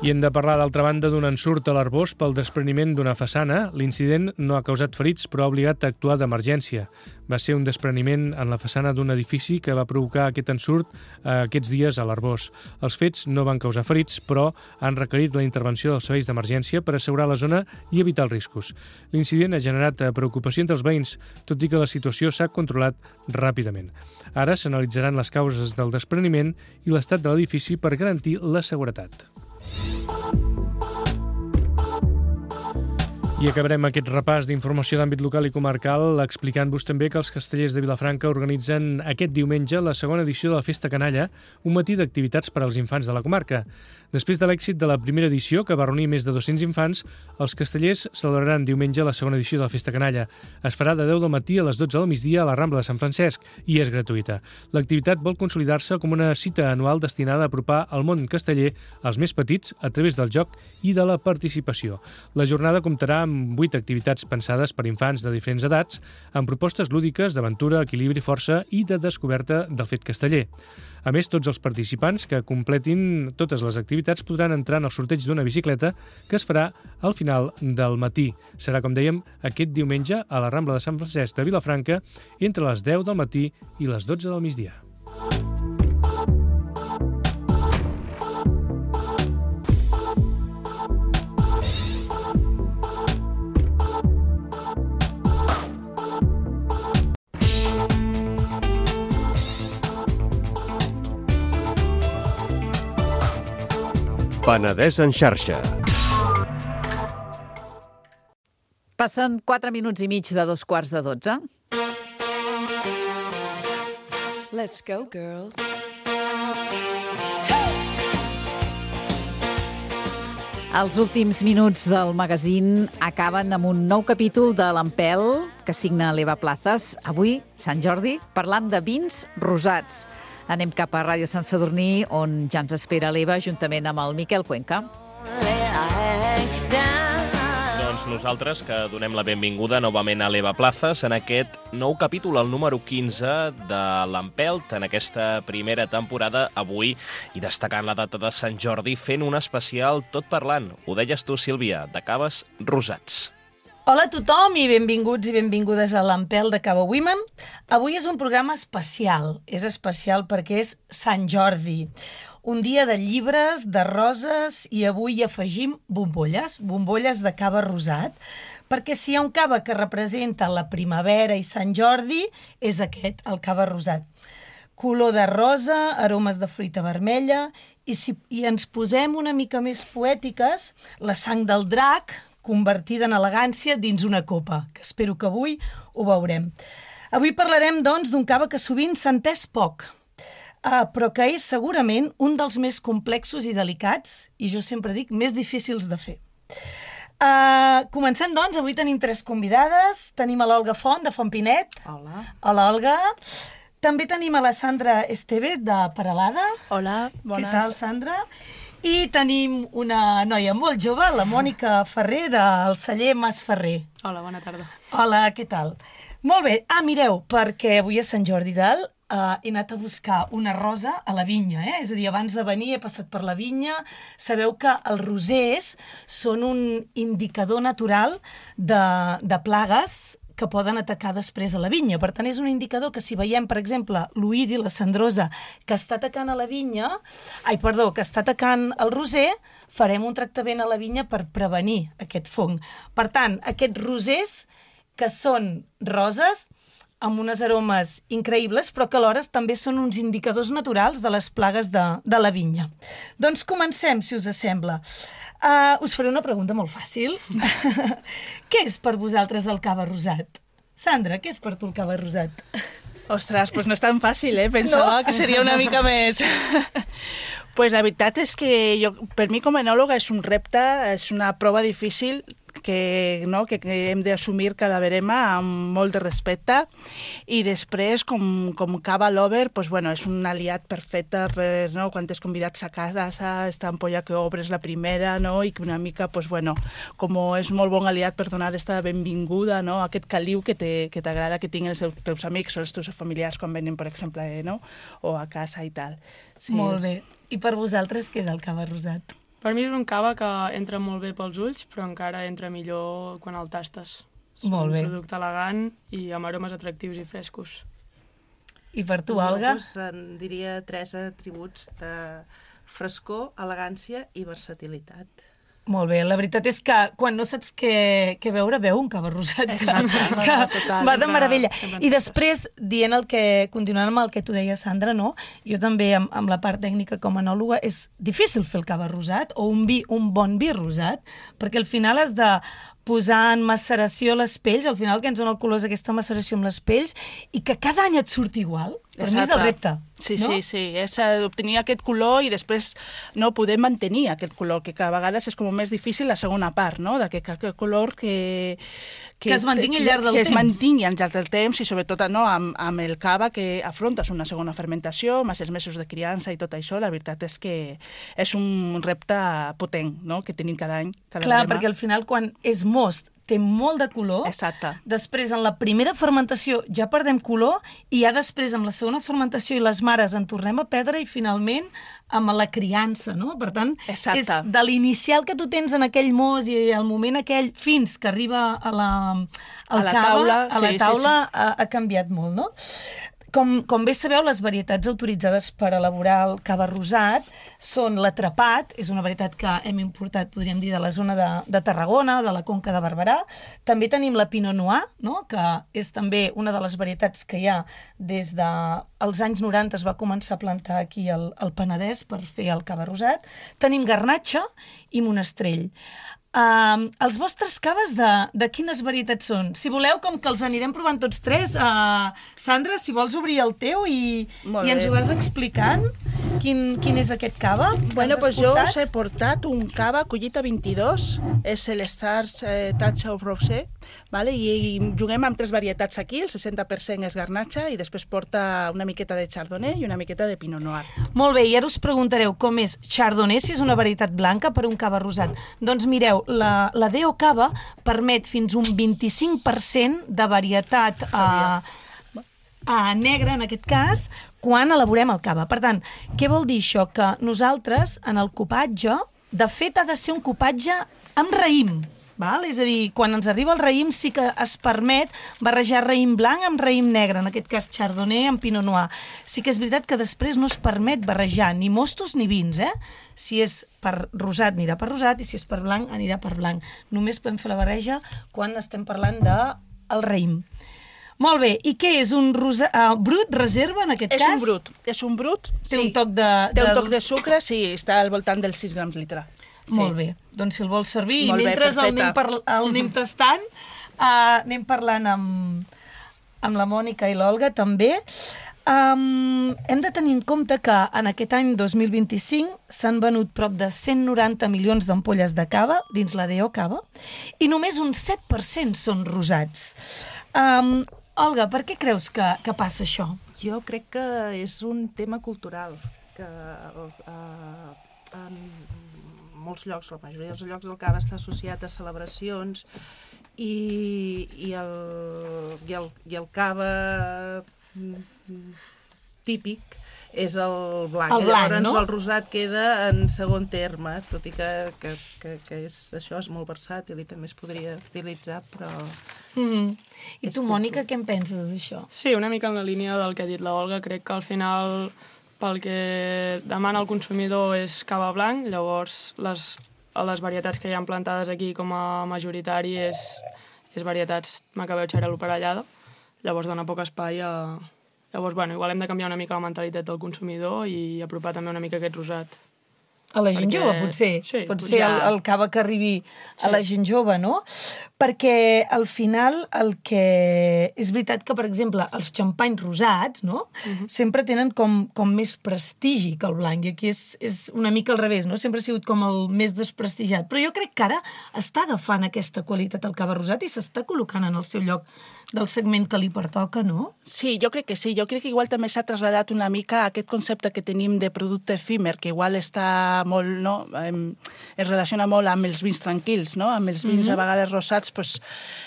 [SPEAKER 7] I hem de parlar, d'altra banda, d'un ensurt a l'Arboç pel despreniment d'una façana. L'incident no ha causat ferits, però ha obligat a actuar d'emergència. Va ser un despreniment en la façana d'un edifici que va provocar aquest ensurt eh, aquests dies a l'Arboç. Els fets no van causar ferits, però han requerit la intervenció dels serveis d'emergència per assegurar la zona i evitar els riscos. L'incident ha generat preocupació entre els veïns, tot i que la situació s'ha controlat ràpidament. Ara s'analitzaran les causes del despreniment i l'estat de l'edifici per garantir la seguretat. I acabarem aquest repàs d'informació d'àmbit local i comarcal explicant-vos també que els castellers de Vilafranca organitzen aquest diumenge la segona edició de la Festa Canalla, un matí d'activitats per als infants de la comarca. Després de l'èxit de la primera edició, que va reunir més de dos-cents infants, els castellers celebraran diumenge la segona edició de la Festa Canalla. Es farà de deu del matí a les dotze del migdia a la Rambla de Sant Francesc i és gratuïta. L'activitat vol consolidar-se com una cita anual destinada a apropar el món casteller als més petits a través del joc i de la participació. La jornada comptarà amb vuit activitats pensades per infants de diferents edats, amb propostes lúdiques d'aventura, equilibri, força i de descoberta del fet casteller. A més, tots els participants que completin totes les activitats podran entrar en el sorteig d'una bicicleta que es farà al final del matí. Serà, com dèiem, aquest diumenge a la Rambla de Sant Francesc de Vilafranca entre les deu del matí i les dotze del migdia.
[SPEAKER 6] Penedès en xarxa.
[SPEAKER 2] Passen quatre minuts i mig de dos quarts de dotze.
[SPEAKER 1] Let's go, girls.
[SPEAKER 2] Els últims minuts del magazín acaben amb un nou capítol de l'Empel que signa l'Eva Plazas. Avui, Sant Jordi, parlant de vins rosats. Anem cap a Ràdio Sant Sadurní, on ja ens espera l'Eva, juntament amb el Miquel Cuenca.
[SPEAKER 8] Doncs nosaltres que donem la benvinguda novament a l'Eva Plazas en aquest nou capítol, el número quinze de l'Empelt, en aquesta primera temporada, avui, i destacant la data de Sant Jordi, fent un especial tot parlant. Ho deies tu, Sílvia, de caves rosats.
[SPEAKER 9] Hola a tothom i benvinguts i benvingudes a l'Empel de Cava Women. Avui és un programa especial. És especial perquè és Sant Jordi. Un dia de llibres, de roses, i avui hi afegim bombolles, bombolles de cava rosat, perquè si hi ha un cava que representa la primavera i Sant Jordi, és aquest, el cava rosat. color de rosa, aromes de fruita vermella, i si i ens posem una mica més poètiques, la sang del drac, convertida en elegància dins una copa, que espero que avui ho veurem. Avui parlarem, doncs, d'un cava que sovint s'ha entès poc, uh, però que és segurament un dels més complexos i delicats, i jo sempre dic, més difícils de fer. Uh, comencem, doncs, avui tenim tres convidades. Tenim a l'Olga Font, de Font Pinet.
[SPEAKER 10] Hola.
[SPEAKER 9] Hola, Olga. També tenim a la Sandra Esteve, de Peralada.
[SPEAKER 10] Hola, bones.
[SPEAKER 9] Què tal, Sandra? I tenim una noia molt jove, la Mònica Ferrer, del celler Mas Ferrer.
[SPEAKER 10] Hola, bona tarda.
[SPEAKER 9] Hola, què tal? Molt bé. Ah, mireu, perquè avui és Sant Jordi d'Alt, Uh, he anat a buscar una rosa a la vinya, eh? És a dir, abans de venir he passat per la vinya. Sabeu que els rosers són un indicador natural de, de plagues que poden atacar després a la vinya. Per tant, és un indicador que si veiem, per exemple, l'oïdi, la cendrosa, que està atacant a la vinya, ai, perdó, que està atacant el roser, farem un tractament a la vinya per prevenir aquest fong. Per tant, aquests rosers que són roses, amb unes aromes increïbles, però que alhora també són uns indicadors naturals de les plagues de, de la vinya. Doncs comencem, si us sembla. Uh, us faré una pregunta molt fàcil. Què és per vosaltres el cava rosat? Sandra, què és per tu el cava rosat?
[SPEAKER 10] Ostres, doncs no és tan fàcil, eh? Pensava no? que seria una mica més... Pues la veritat és que jo, per mi com a enòloga és un repte, és una prova difícil que, no, que, que hem d'assumir cada verema amb molt de respecte, i després com, com cava lover, pues, bueno, és un aliat perfecte per, no, quan t'has convidats a casa, esta ampolla que obres la primera, no, i que una mica, pues, bueno, com és molt bon aliat per donar esta benvinguda, no, aquest caliu que t'agrada que tinguin els teus amics o els teus familiars quan venen, per exemple, eh, no, o a casa i tal. Sí.
[SPEAKER 9] Molt bé. I per vosaltres, què és el cava rosat?
[SPEAKER 11] Per mi és un cava que entra molt bé pels ulls, però encara entra millor quan el tastes. És
[SPEAKER 9] molt bé.
[SPEAKER 11] Un producte elegant i amb aromes atractius i frescos.
[SPEAKER 9] I per tu, Olga?
[SPEAKER 12] Jo pues, en diria tres atributs de frescor, elegància i versatilitat.
[SPEAKER 9] Molt bé, la veritat és que quan no saps què, què veure, veu un cava rosat, que, que
[SPEAKER 10] total,
[SPEAKER 9] va de
[SPEAKER 10] sempre,
[SPEAKER 9] meravella.
[SPEAKER 11] sempre
[SPEAKER 9] I després, dient el que, continuant amb el que tu deies, Sandra, no? Jo també, amb, amb la part tècnica com a enòloga, és difícil fer el cava rosat, o un vi, un bon vi rosat, perquè al final has de posar en maceració les pells, al final el que ens dona el color és aquesta maceració amb les pells, i que cada any et surti igual. Per
[SPEAKER 10] Exacte.
[SPEAKER 9] mi és el repte.
[SPEAKER 10] Sí,
[SPEAKER 9] no?
[SPEAKER 10] sí, sí, és obtenir aquest color i després no poder mantenir aquest color, que cada vegada és com més difícil la segona part, no? D'aquest aquest color que...
[SPEAKER 9] Que, que es mantingui al llarg del
[SPEAKER 10] que
[SPEAKER 9] temps.
[SPEAKER 10] Que es mantingui al llarg del temps i sobretot no, amb, amb el cava que afrontes una segona fermentació, més els mesos de criança i tot això, la veritat és que és un repte potent, no?, que tenim cada any. Cada
[SPEAKER 9] Clar,
[SPEAKER 10] verema.
[SPEAKER 9] perquè al final quan és most té molt de color.
[SPEAKER 10] Exacte.
[SPEAKER 9] Després, en la primera fermentació ja perdem color i ja després, amb la segona fermentació i les mares en tornem a perdre i finalment amb la criança, no? Per tant,
[SPEAKER 10] Exacte.
[SPEAKER 9] és de l'inicial que tu tens en aquell mos i el moment aquell fins que arriba a la, al
[SPEAKER 10] a la
[SPEAKER 9] cava,
[SPEAKER 10] taula,
[SPEAKER 9] a la
[SPEAKER 10] sí,
[SPEAKER 9] taula
[SPEAKER 10] sí, sí.
[SPEAKER 9] Ha, ha canviat molt, no? Com, com bé sabeu, les varietats autoritzades per elaborar el cava rosat són l'atrapat, és una varietat que hem importat, podríem dir, de la zona de, de Tarragona, de la Conca de Barberà. També tenim la Pinot Noir, no?, que és també una de les varietats que hi ha des dels anys noranta, es va començar a plantar aquí al, al Penedès per fer el cava rosat. Tenim Garnatxa i Monestrell. Uh, els vostres caves de, de quines varietats són? Si voleu, com que els anirem provant tots tres, uh, Sandra, si vols obrir el teu i, i ens ho vas explicant, quin, quin és aquest cava?
[SPEAKER 10] Bueno, pues jo us he portat un cava Collita vint-i-dos, és el Stars eh, Touch of Rosé, vale? I, i juguem amb tres varietats aquí, el seixanta per cent és Garnatxa i després porta una miqueta de Chardonnay i una miqueta de Pinot Noir.
[SPEAKER 9] Molt bé, i ara us preguntareu com és Chardonnay, si és una varietat blanca per un cava rosat. Doncs mireu, la, la D O Cava permet fins un vint-i-cinc per cent de varietat a, a negra, en aquest cas, quan elaborem el cava. Per tant, què vol dir això? Que nosaltres, en el copatge, de fet ha de ser un copatge amb raïm. Val? És a dir, quan ens arriba el raïm sí que es permet barrejar raïm blanc amb raïm negre, en aquest cas Chardonnay amb Pinot Noir. Sí que és veritat que després no es permet barrejar ni mostos ni vins, eh? Si és per rosat anirà per rosat i si és per blanc anirà per blanc. Només podem fer la barreja quan estem parlant del raïm. Molt bé, i què és? Un rosa... uh, brut, reserva, en aquest
[SPEAKER 10] és
[SPEAKER 9] cas?
[SPEAKER 10] És un brut, és un brut.
[SPEAKER 9] Té
[SPEAKER 10] sí.
[SPEAKER 9] un toc de...
[SPEAKER 10] Té un
[SPEAKER 9] de...
[SPEAKER 10] toc de sucre, sí, està al voltant dels sis grams litre. Sí.
[SPEAKER 9] Molt bé, doncs si el vols servir,
[SPEAKER 10] Molt
[SPEAKER 9] i mentre
[SPEAKER 10] bé,
[SPEAKER 9] el anem, par... el anem tastant, uh, anem parlant amb, amb la Mònica i l'Olga també. Um, hem de tenir en compte que en aquest any dos mil vint-i-cinc s'han venut prop de cent noranta milions d'ampolles de cava dins la D O Cava i només un set per cent són rosats. Um, Olga, per què creus que, que passa això?
[SPEAKER 12] Jo crec que és un tema cultural, que uh, en molts llocs, la majoria dels llocs del cava està associat a celebracions i, i, el, i, el, i el cava típic és el blanc.
[SPEAKER 9] El blanc,
[SPEAKER 12] llavors
[SPEAKER 9] no?
[SPEAKER 12] el rosat queda en segon terme, tot i que, que, que, que és, això és molt versàtil i també es podria utilitzar, però...
[SPEAKER 9] Mm. I tu, Mònica, què en penses d'això?
[SPEAKER 11] Sí, una mica en la línia del que ha dit l'Olga. Crec que al final, pel que demana el consumidor és cava blanc, llavors les, les varietats que hi ha plantades aquí com a majoritari és, és varietats macabeu xarel·lo parellada, llavors dona poc espai a... Llavors, bueno, igual hem de canviar una mica la mentalitat del consumidor i apropar també una mica aquest rosat.
[SPEAKER 9] A la gent Perquè... jove, potser.
[SPEAKER 11] Sí,
[SPEAKER 9] Pot
[SPEAKER 11] potser.
[SPEAKER 9] ser el, el cava que arribi a la gent jove, no? Perquè al final el que... És veritat que, per exemple, els xampanys rosats, no? Uh-huh. Sempre tenen com, com més prestigi que el blanc, i aquí és, és una mica al revés, no? Sempre ha sigut com el més desprestigiat. Però jo crec que ara està agafant aquesta qualitat el cava rosat i s'està col·locant en el seu lloc del segment que li pertoca, no?
[SPEAKER 10] Sí, jo crec que sí. Jo crec que igual també s'ha traslladat una mica aquest concepte que tenim de producte efímer, que igual està molt, no? Es relaciona molt amb els vins tranquils, no? Amb els vins mm-hmm. a vegades rosats, pues,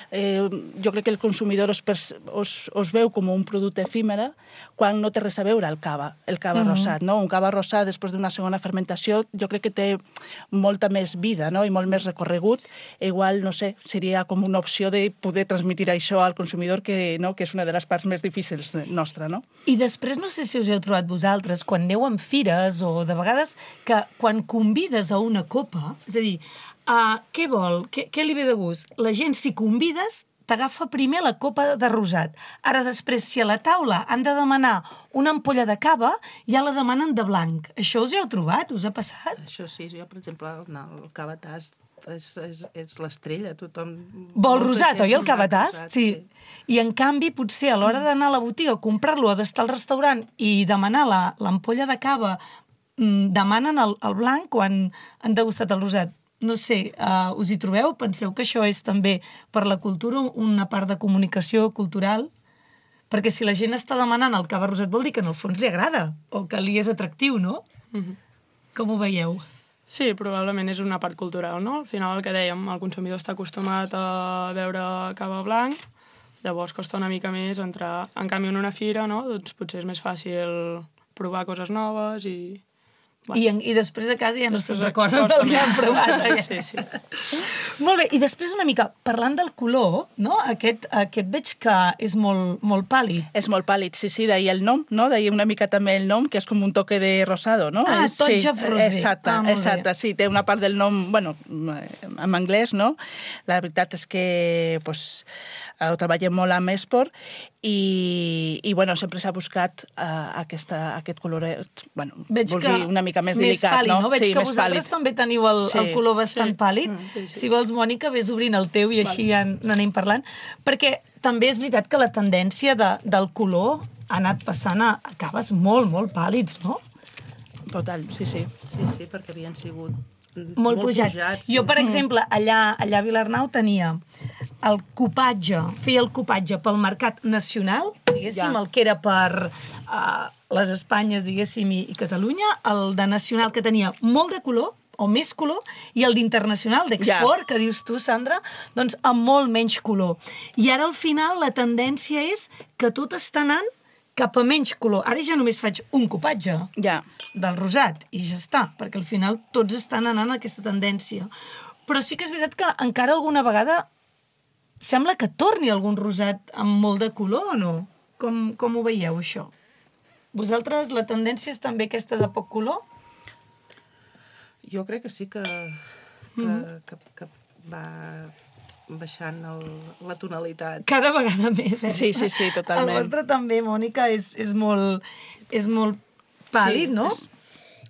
[SPEAKER 10] eh, jo crec que el consumidor us, us, us veu com un producte efímera quan no té res a veure el cava, el cava mm-hmm. rosat, no? Un cava rosat després d'una segona fermentació jo crec que té molta més vida, no? I molt més recorregut. Igual, no sé, seria com una opció de poder transmitir això al consumidor, que, no? Que és una de les parts més difícils nostra, no?
[SPEAKER 9] I després, no sé si us heu trobat vosaltres, quan aneu en fires o de vegades que quan convides a una copa, és a dir, uh, què vol? Què, què li ve de gust? La gent, si convides, t'agafa primer la copa de rosat. Ara, després, si a la taula han de demanar una ampolla de cava, ja la demanen de blanc. Això us hi heu trobat? Us ha passat?
[SPEAKER 12] Això sí, jo, per exemple, no, el cava tast és, és, és l'estrella, tothom...
[SPEAKER 9] Vol rosat, oi, el cava tast?
[SPEAKER 12] Rosat,
[SPEAKER 9] sí. sí. I, en canvi, potser a l'hora d'anar a la botiga a comprar-lo o d'estar al restaurant i demanar l'ampolla de cava, demanen el, el blanc quan han degustat el rosat. No sé, uh, us hi trobeu? Penseu que això és també per la cultura una part de comunicació cultural? Perquè si la gent està demanant el cava rosat vol dir que en el fons li agrada o que li és atractiu, no? Mm-hmm. Com ho veieu?
[SPEAKER 11] Sí, probablement és una part cultural, no? Al final, el que dèiem, el consumidor està acostumat a beure cava blanc, llavors costa una mica més entrar. En canvi, en una fira, no? Doncs potser és més fàcil provar coses noves i...
[SPEAKER 9] Bueno. I, en, I després a casa ja no se'n recorden del que han provat.
[SPEAKER 11] Sí, sí.
[SPEAKER 9] Molt bé, i després una mica, parlant del color, no? Aquest, aquest veig que és molt, molt pàl·lid.
[SPEAKER 10] És molt pàl·lid, sí, sí, d'ahir el nom, no? D'ahir una mica també el nom, que és com un toque de rosado, no?
[SPEAKER 9] Ah, Touch
[SPEAKER 10] sí,
[SPEAKER 9] of Rosé.
[SPEAKER 10] Exacte,
[SPEAKER 9] ah,
[SPEAKER 10] exacte, sí, té una part del nom, bueno, en anglès, no? La veritat és que, pues, ho treballem molt amb esport i, i bueno, sempre s'ha buscat uh, aquesta, aquest coloret, bueno,
[SPEAKER 9] veig
[SPEAKER 10] vol dir una mica més delicat,
[SPEAKER 9] pàl·lid,
[SPEAKER 10] no?
[SPEAKER 9] no? Veig
[SPEAKER 10] sí,
[SPEAKER 9] que vosaltres
[SPEAKER 10] pàl·lid.
[SPEAKER 9] també teniu el, sí. el color bastant sí. pàl·lid.
[SPEAKER 11] Mm, sí, sí.
[SPEAKER 9] Si vols, Mònica, vés obrint el teu i així vale. ja n'anem parlant. Perquè també és veritat que la tendència de, del color ha anat passant a, a caves molt, molt pàl·lids, no?
[SPEAKER 10] Total, sí, sí.
[SPEAKER 12] Sí, sí, perquè havien sigut
[SPEAKER 9] molt,
[SPEAKER 12] molt
[SPEAKER 9] pujat.
[SPEAKER 12] pujats.
[SPEAKER 9] Jo, per exemple, allà, allà a Vilarnau tenia el copatge, feia el copatge pel mercat nacional, diguéssim, ja. el que era per uh, les Espanyes, diguéssim, i, i Catalunya, el de nacional que tenia molt de color, o més color, i el d'internacional, d'export, ja. que dius tu, Sandra, doncs amb molt menys color. I ara, al final, la tendència és que tot està anant cap a menys color. Ara ja només faig un copatge
[SPEAKER 10] ja.
[SPEAKER 9] del rosat i ja està, perquè al final tots estan anant a aquesta tendència. Però sí que és veritat que encara alguna vegada sembla que torni algun rosat amb molt de color o no? Com, com ho veieu, això? Vosaltres, la tendència és també aquesta de poc color?
[SPEAKER 12] Jo crec que sí que, que, mm-hmm. que, que va baixant el, la tonalitat.
[SPEAKER 9] Cada vegada més, eh?
[SPEAKER 10] Sí, sí, sí, totalment.
[SPEAKER 9] El vostre també, Mònica, és, és molt, és molt pàl·lid,
[SPEAKER 11] Sí,
[SPEAKER 9] no?
[SPEAKER 11] és-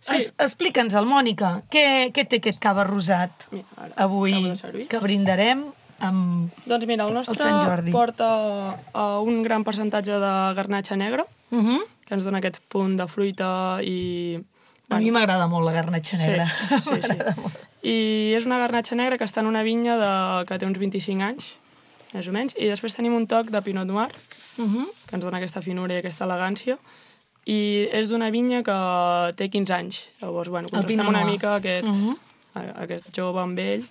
[SPEAKER 11] sí.
[SPEAKER 9] Es, Explica'ns, el Mònica, què, què té aquest cava rosat
[SPEAKER 11] Mira, ara,
[SPEAKER 9] avui
[SPEAKER 11] acabo de servir.
[SPEAKER 9] que brindarem amb
[SPEAKER 11] Doncs mira, el
[SPEAKER 9] el
[SPEAKER 11] nostre
[SPEAKER 9] Sant Jordi?
[SPEAKER 11] porta uh, un gran percentatge de garnatxa negra,
[SPEAKER 9] Uh -huh.
[SPEAKER 11] que ens dona aquest punt de fruita i...
[SPEAKER 9] A mi m'agrada molt la garnatxa negra.
[SPEAKER 11] Sí, sí, sí. I és una garnatxa negra que està en una vinya de, que té uns vint-i-cinc anys, més o menys, i després tenim un toc de pinot noir,
[SPEAKER 9] Uh -huh.
[SPEAKER 11] que ens dona aquesta finura i aquesta elegància, i és d'una vinya que té quinze anys. Llavors, bueno,
[SPEAKER 9] El Pinot
[SPEAKER 11] contrastem una
[SPEAKER 9] Noir.
[SPEAKER 11] mica aquest,
[SPEAKER 9] Uh -huh.
[SPEAKER 11] a- aquest jove amb ell,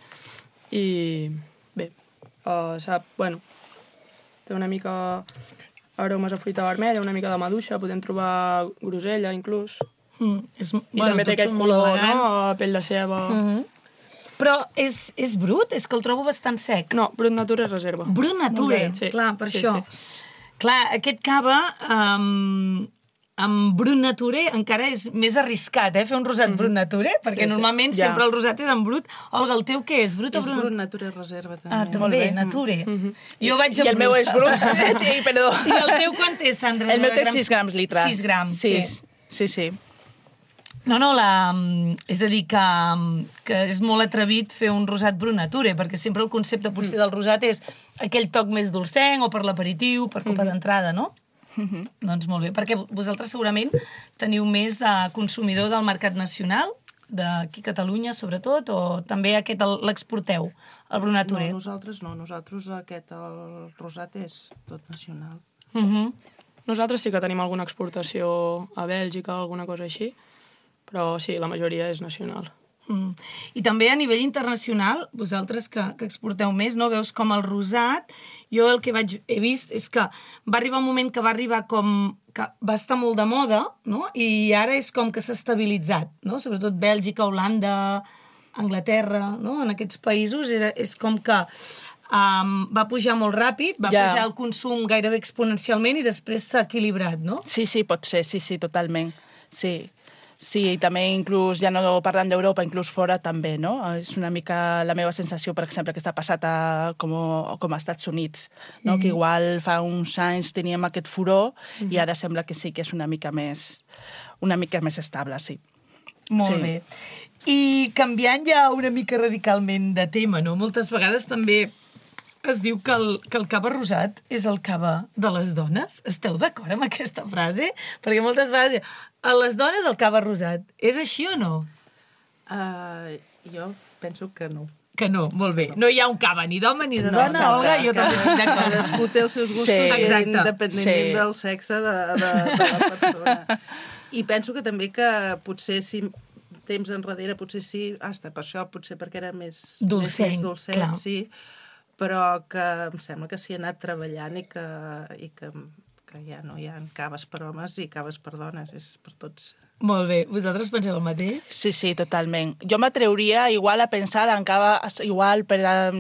[SPEAKER 11] i bé, uh, sap, bueno, té una mica aromes a fruita vermella, una mica de maduixa, podem trobar grosella, inclús.
[SPEAKER 9] Mm, és,
[SPEAKER 11] I
[SPEAKER 9] bueno,
[SPEAKER 11] també té
[SPEAKER 9] tots
[SPEAKER 11] aquest
[SPEAKER 9] són molt
[SPEAKER 11] color,
[SPEAKER 9] elegants.
[SPEAKER 11] no? Pell de ceba.
[SPEAKER 9] Uh -huh. Però és, és brut? És que el trobo bastant sec.
[SPEAKER 11] No, brut natura és reserva.
[SPEAKER 9] Brut natura,
[SPEAKER 11] Molt bé, sí.
[SPEAKER 9] clar, per
[SPEAKER 11] Sí,
[SPEAKER 9] això.
[SPEAKER 11] sí.
[SPEAKER 9] Clar, aquest cava um, amb brut nature encara és més arriscat, eh? Fer un rosat mm -hmm. brut nature, perquè
[SPEAKER 12] Sí, sí.
[SPEAKER 9] normalment
[SPEAKER 12] Ja.
[SPEAKER 9] sempre el rosat és en brut. Olga, el teu què és? Brut o
[SPEAKER 12] És
[SPEAKER 9] brut?
[SPEAKER 12] brut nature reserva, també.
[SPEAKER 9] Ah, també, nature.
[SPEAKER 11] Mm-hmm.
[SPEAKER 9] Jo vaig a
[SPEAKER 10] I el meu és brut, sí, perdó.
[SPEAKER 9] I el teu quant té, Sandra?
[SPEAKER 10] El meu
[SPEAKER 9] de
[SPEAKER 10] té
[SPEAKER 9] grams?
[SPEAKER 10] sis grams litre.
[SPEAKER 9] sis grams, sí.
[SPEAKER 10] Sí, sí, sí.
[SPEAKER 9] No, no, la, és a dir, que, que és molt atrevit fer un rosat brut nature, perquè sempre el concepte potser del rosat és aquell toc més dolcenc o per l'aperitiu, per copa d'entrada, no?
[SPEAKER 10] Mhm.
[SPEAKER 9] Doncs molt bé, perquè vosaltres segurament teniu més de consumidor del mercat nacional, d'aquí a Catalunya sobretot, o també aquest el- l'exporteu, el brut nature?
[SPEAKER 12] No, nosaltres no. Nosaltres aquest, el rosat és tot nacional.
[SPEAKER 9] Uh -huh.
[SPEAKER 11] Nosaltres sí que tenim alguna exportació a Bèlgica, alguna cosa així, però sí, la majoria és nacional.
[SPEAKER 9] Mm. I també a nivell internacional, vosaltres que, que exporteu més, no veus com el rosat, jo el que vaig, he vist és que va arribar un moment que va arribar com que va estar molt de moda, no? I ara és com que s'ha estabilitzat, no? Sobretot Bèlgica, Holanda, Anglaterra, no? En aquests països era, és com que um, va pujar molt ràpid, va
[SPEAKER 10] Ja.
[SPEAKER 9] pujar el consum gairebé exponencialment i després s'ha equilibrat, no?
[SPEAKER 10] Sí, sí, pot ser, sí, sí, totalment. Sí. Sí, i també inclús, ja no parlant d'Europa, inclús fora també, no? És una mica la meva sensació, per exemple, que està passat a, com, com a Estats Units, no?
[SPEAKER 9] Mhm.
[SPEAKER 10] Que igual fa uns anys teníem aquest furor
[SPEAKER 9] Mhm.
[SPEAKER 10] i ara sembla que sí que és una mica més, una mica més estable, sí.
[SPEAKER 9] Molt
[SPEAKER 10] Sí.
[SPEAKER 9] bé. I canviant ja una mica radicalment de tema, no? Moltes vegades també es diu que el, que el cava rosat és el cava de les dones. Esteu d'acord amb aquesta frase? Perquè moltes vegades a les dones el cava rosat. És així o no?
[SPEAKER 12] Uh, jo penso que no.
[SPEAKER 9] Que no, molt bé. No hi ha un cava ni d'home ni de
[SPEAKER 12] No,
[SPEAKER 9] dona,
[SPEAKER 12] exacte,
[SPEAKER 9] Olga, jo
[SPEAKER 12] que
[SPEAKER 9] també estic d'acord.
[SPEAKER 12] Cadascú té els seus gustos,
[SPEAKER 10] Sí.
[SPEAKER 9] Exacte.
[SPEAKER 12] independentment
[SPEAKER 10] Sí.
[SPEAKER 12] del sexe de, de, de la persona. I penso que també que potser si temps enrere, potser sí, hasta per això, potser perquè era més
[SPEAKER 9] Dolcenc,
[SPEAKER 12] més, més dolcet,
[SPEAKER 9] clar.
[SPEAKER 12] sí, però que em sembla que s'hi ha anat treballant i que, i que, que ja no hi ha caves per homes i caves per dones, és per tots.
[SPEAKER 9] Molt bé. Vosaltres penseu el mateix?
[SPEAKER 10] Sí, sí, totalment. Jo m'atreuria igual a pensar en cava, igual per a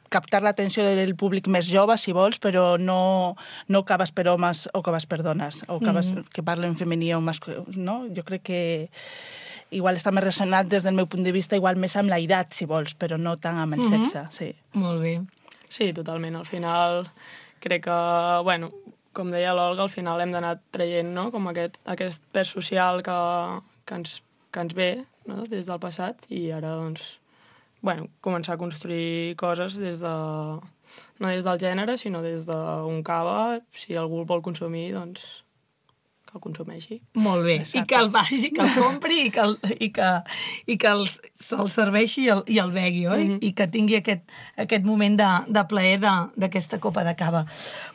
[SPEAKER 10] captar l'atenció del públic més jove, si vols, però no, no caves per homes o caves per dones, o caves
[SPEAKER 9] Mhm.
[SPEAKER 10] que parlen femení o masculí, no? Jo crec que igual està més resonat des del meu punt de vista, igual més amb la edat, si vols, però no tant amb el
[SPEAKER 9] Mhm.
[SPEAKER 10] sexe, sí.
[SPEAKER 9] Molt bé.
[SPEAKER 11] Sí, totalment. Al final, crec que, bueno, com deia l'Olga, al final hem d'anar traient, no?, com aquest, aquest pes social que, que, ens, que ens ve, no?, des del passat, i ara, doncs, bueno, començar a construir coses des de, no des del gènere, sinó des d'un cava. Si algú el vol consumir, doncs, que el consumeixi.
[SPEAKER 9] Molt bé.
[SPEAKER 11] Exacte.
[SPEAKER 9] I que el vagi, que el compri i que, el, i que, i que el, se'l serveixi i el, i el begui, oi?
[SPEAKER 11] Mhm.
[SPEAKER 9] I que tingui aquest, aquest moment de, de plaer de- d'aquesta copa de cava.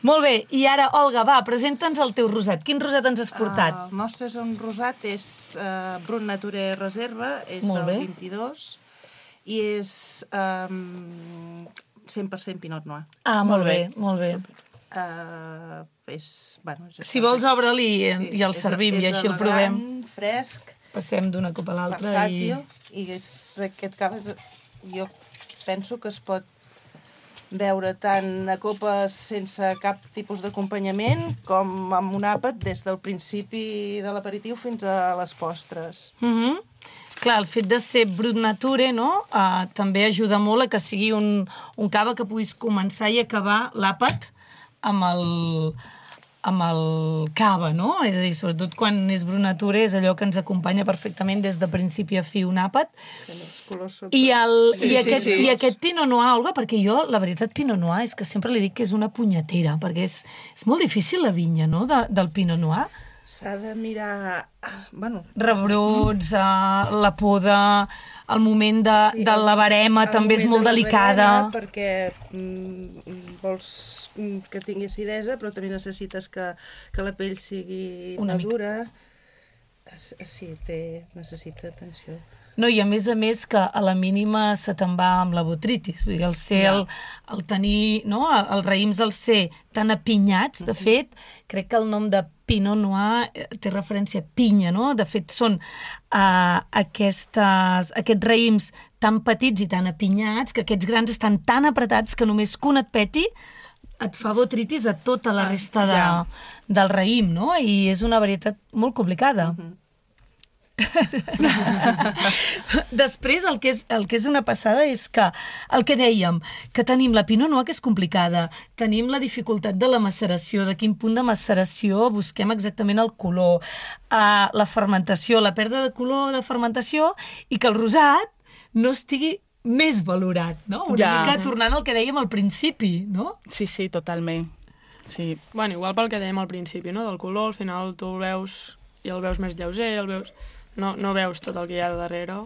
[SPEAKER 9] Molt bé. I ara, Olga, va, presenta'ns el teu rosat. Quin rosat ens has portat?
[SPEAKER 12] Uh, el nostre és un rosat, és uh, Brut Nature Reserva, és
[SPEAKER 9] Molt
[SPEAKER 12] del
[SPEAKER 9] bé.
[SPEAKER 12] vint-i-dos, i és um, cent per cent Pinot Noir.
[SPEAKER 9] Ah, molt bé, molt bé.
[SPEAKER 12] Uh, és, bueno, és
[SPEAKER 9] Si vols, obre-li i- i el
[SPEAKER 12] és-
[SPEAKER 9] servim, i
[SPEAKER 12] és
[SPEAKER 9] així el
[SPEAKER 12] elegant,
[SPEAKER 9] provem.
[SPEAKER 12] fresc,
[SPEAKER 9] Passem d'una copa a l'altra i...
[SPEAKER 12] versàtil, i és, aquest cava és, jo penso que es pot beure tant a copes sense cap tipus d'acompanyament com amb un àpat des del principi de l'aperitiu fins a les postres.
[SPEAKER 9] Mm -hmm. Clar, el fet de ser brut nature, no?, uh, també ajuda molt a que sigui un, un cava que puguis començar i acabar l'àpat amb el, amb el cava, no? És a dir, sobretot quan és brut nature és allò que ens acompanya perfectament des de principi a fi un àpat. I, el,
[SPEAKER 10] Sí,
[SPEAKER 9] i,
[SPEAKER 10] sí,
[SPEAKER 9] aquest,
[SPEAKER 10] sí.
[SPEAKER 9] i aquest Pinot Noir, Olga, perquè jo, la veritat, Pinot Noir és que sempre li dic que és una punyetera, perquè és, és molt difícil la vinya, no?, de, del Pinot Noir.
[SPEAKER 12] S'ha de mirar... Bueno,
[SPEAKER 9] Rebrots, uh, la poda, el moment de,
[SPEAKER 12] Sí,
[SPEAKER 9] de la barema
[SPEAKER 12] el
[SPEAKER 9] també és molt
[SPEAKER 12] moment de la
[SPEAKER 9] delicada.
[SPEAKER 12] barema, perquè mm, vols que tingui acidesa, però també necessites que, que la pell sigui
[SPEAKER 9] Una mica.
[SPEAKER 12] madura. Es- Sí, té, necessita atenció.
[SPEAKER 9] No, i a més a més que a la mínima se te'n va amb la botritis. Vull dir, el ser, el, el tenir, no?, els raïms al ser tan apinyats, de fet, crec que el nom de Pinot Noir eh, té referència a pinya, no? De fet, són uh, aquestes, aquests raïms tan petits i tan apinyats que aquests grans estan tan apretats que només que un et peti et fa botritis a tota la resta de,
[SPEAKER 12] ja.
[SPEAKER 9] del raïm, no? I és una varietat molt complicada. Uh-huh. Després, el que, és, el que és una passada és que, el que dèiem, que tenim la Pinot Noir, que és complicada, tenim la dificultat de la maceració, de quin punt de maceració busquem exactament el color, uh, la fermentació, la pèrdua de color de fermentació, i que el rosat no estigui més valorat, no? Una
[SPEAKER 10] Ja.
[SPEAKER 9] mica tornant al que dèiem al principi, no?
[SPEAKER 10] Sí, sí, totalment. Sí.
[SPEAKER 11] Bueno, igual pel que dèiem al principi, no?, del color, al final tu el veus i el veus més lleuger, el veus... No, no veus tot el que hi ha de darrere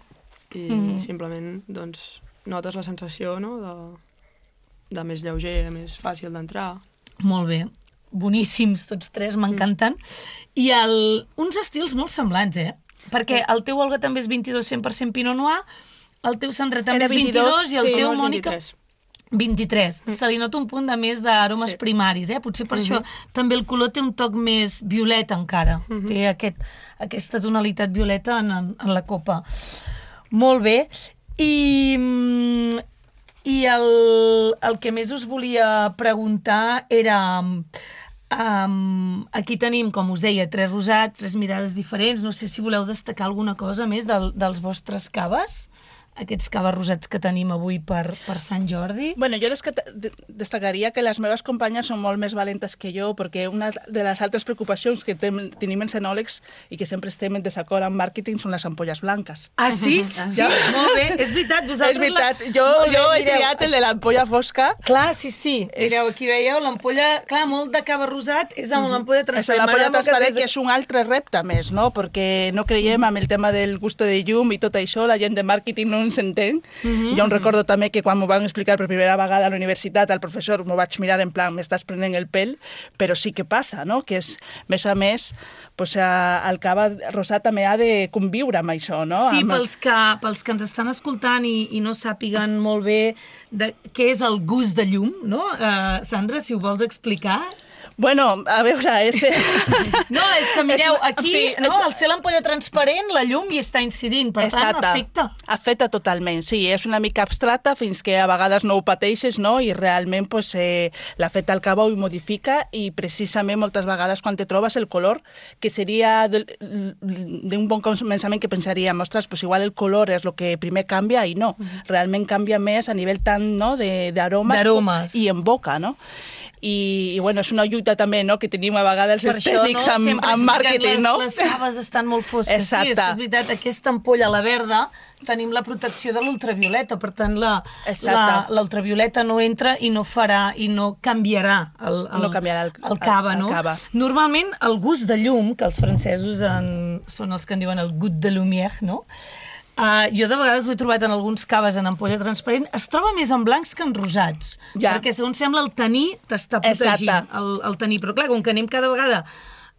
[SPEAKER 11] i
[SPEAKER 9] Mhm.
[SPEAKER 11] simplement doncs, notes la sensació, no?, de, de més lleuger, més fàcil d'entrar.
[SPEAKER 9] Molt bé. Boníssims tots tres, m'encanten. I el, uns estils molt semblants, eh? Perquè el teu, Olga, també és vint-i-dos cent per cent Pinot Noir, el teu, Sandra, també
[SPEAKER 10] Era
[SPEAKER 9] és vint-i-dos,
[SPEAKER 10] vint-i-dos,
[SPEAKER 9] i el
[SPEAKER 10] sí,
[SPEAKER 9] teu,
[SPEAKER 11] no, és
[SPEAKER 9] Mònica...
[SPEAKER 11] vint-i-tres.
[SPEAKER 9] vint-i-tres. Mm. Se li nota un punt de més d'aromes
[SPEAKER 11] Sí.
[SPEAKER 9] primaris, eh? Potser per
[SPEAKER 11] Mhm.
[SPEAKER 9] això també el color té un toc més violeta encara.
[SPEAKER 11] Mhm.
[SPEAKER 9] Té aquest, aquesta tonalitat violeta en, en, en la copa. Molt bé. I, mm, i el, el que més us volia preguntar era... Um, aquí tenim, com us deia, tres rosats, tres mirades diferents. No sé si voleu destacar alguna cosa més del, dels vostres caves, aquests caves rosats que tenim avui per, per Sant Jordi.
[SPEAKER 10] Bueno, jo desca- de- destacaria que les meves companyes són molt més valentes que jo, perquè una de les altres preocupacions que tem, tenim els enòlegs i que sempre estem en desacord amb màrqueting són les ampolles blanques.
[SPEAKER 9] Ah, sí? Sí,
[SPEAKER 10] Ja.
[SPEAKER 9] molt bé. És veritat, vosaltres...
[SPEAKER 10] És veritat,
[SPEAKER 9] La...
[SPEAKER 10] jo,
[SPEAKER 9] Molt bé,
[SPEAKER 10] jo he
[SPEAKER 9] mireu.
[SPEAKER 10] triat el de l'ampolla fosca.
[SPEAKER 9] Clar, sí, sí.
[SPEAKER 10] És-
[SPEAKER 9] Mireu, aquí veieu l'ampolla... Clar, molt de cava rosat és amb l'ampolla
[SPEAKER 10] És
[SPEAKER 9] transparent.
[SPEAKER 10] l'ampolla
[SPEAKER 9] M'agrada molt
[SPEAKER 10] transparent,
[SPEAKER 9] des-
[SPEAKER 10] que és un altre repte més, no? Perquè no creiem amb el tema del gusto de llum i tot això, la gent de màrqueting no ens entén.
[SPEAKER 9] Mhm.
[SPEAKER 10] Jo em recordo també que quan m'ho van explicar per primera vegada a la universitat, el professor m'ho vaig mirar en plan, m'estàs prenent el pèl, però sí que passa, no? Que és, més a més, pues, el cava rosat també ha de conviure amb això, no?
[SPEAKER 9] Sí,
[SPEAKER 10] amb...
[SPEAKER 9] pels que, pels que ens estan escoltant i, i no sàpiguen molt bé de què és el gust de llum, no? Uh, Sandra, si ho vols explicar...
[SPEAKER 10] Bueno, a veure, és...
[SPEAKER 9] No, és que mireu, aquí,
[SPEAKER 10] Sí,
[SPEAKER 9] no,
[SPEAKER 10] és-
[SPEAKER 9] al ser l'ampolla transparent, la llum hi està incidint, per tant, afecta.
[SPEAKER 10] Afecta totalment, sí, és una mica abstracta fins que a vegades no ho pateixes, no? I realment pues, eh, l'efecte al cava ho modifica i precisament moltes vegades quan te trobes el color, que seria del- d'un bon començament que pensaríem, ostres, pues igual el color és el que primer canvia i no, realment canvia més a nivell tant no, de- d'aromes
[SPEAKER 9] D'aromes.
[SPEAKER 10] i en boca, no? I, i bueno, és una lluita també no, que tenim a vegades els tècnics amb,
[SPEAKER 9] Sempre
[SPEAKER 10] amb
[SPEAKER 9] expliquem
[SPEAKER 10] màrqueting,
[SPEAKER 9] les,
[SPEAKER 10] no?
[SPEAKER 9] les caves estan molt fosques.
[SPEAKER 10] Exacte.
[SPEAKER 9] Sí, és que és veritat, aquesta ampolla, la verda, tenim la protecció de l'ultravioleta, per tant, la, la,
[SPEAKER 10] Exacte.
[SPEAKER 9] l'ultravioleta no entra i no farà, i no canviarà el, el,
[SPEAKER 10] No canviarà el-
[SPEAKER 9] el cava,
[SPEAKER 10] el- el
[SPEAKER 9] no?
[SPEAKER 10] cava.
[SPEAKER 9] Normalment, el gust de llum, que els francesos en, són els que en diuen el goût de lumière, no? Uh, jo de vegades ho he trobat en alguns caves en ampolla transparent, es troba més en blancs que en rosats,
[SPEAKER 10] Ja.
[SPEAKER 9] perquè segons sembla el taní t'està protegint,
[SPEAKER 10] Exacte.
[SPEAKER 9] el, el taní, però clar, com que anem cada vegada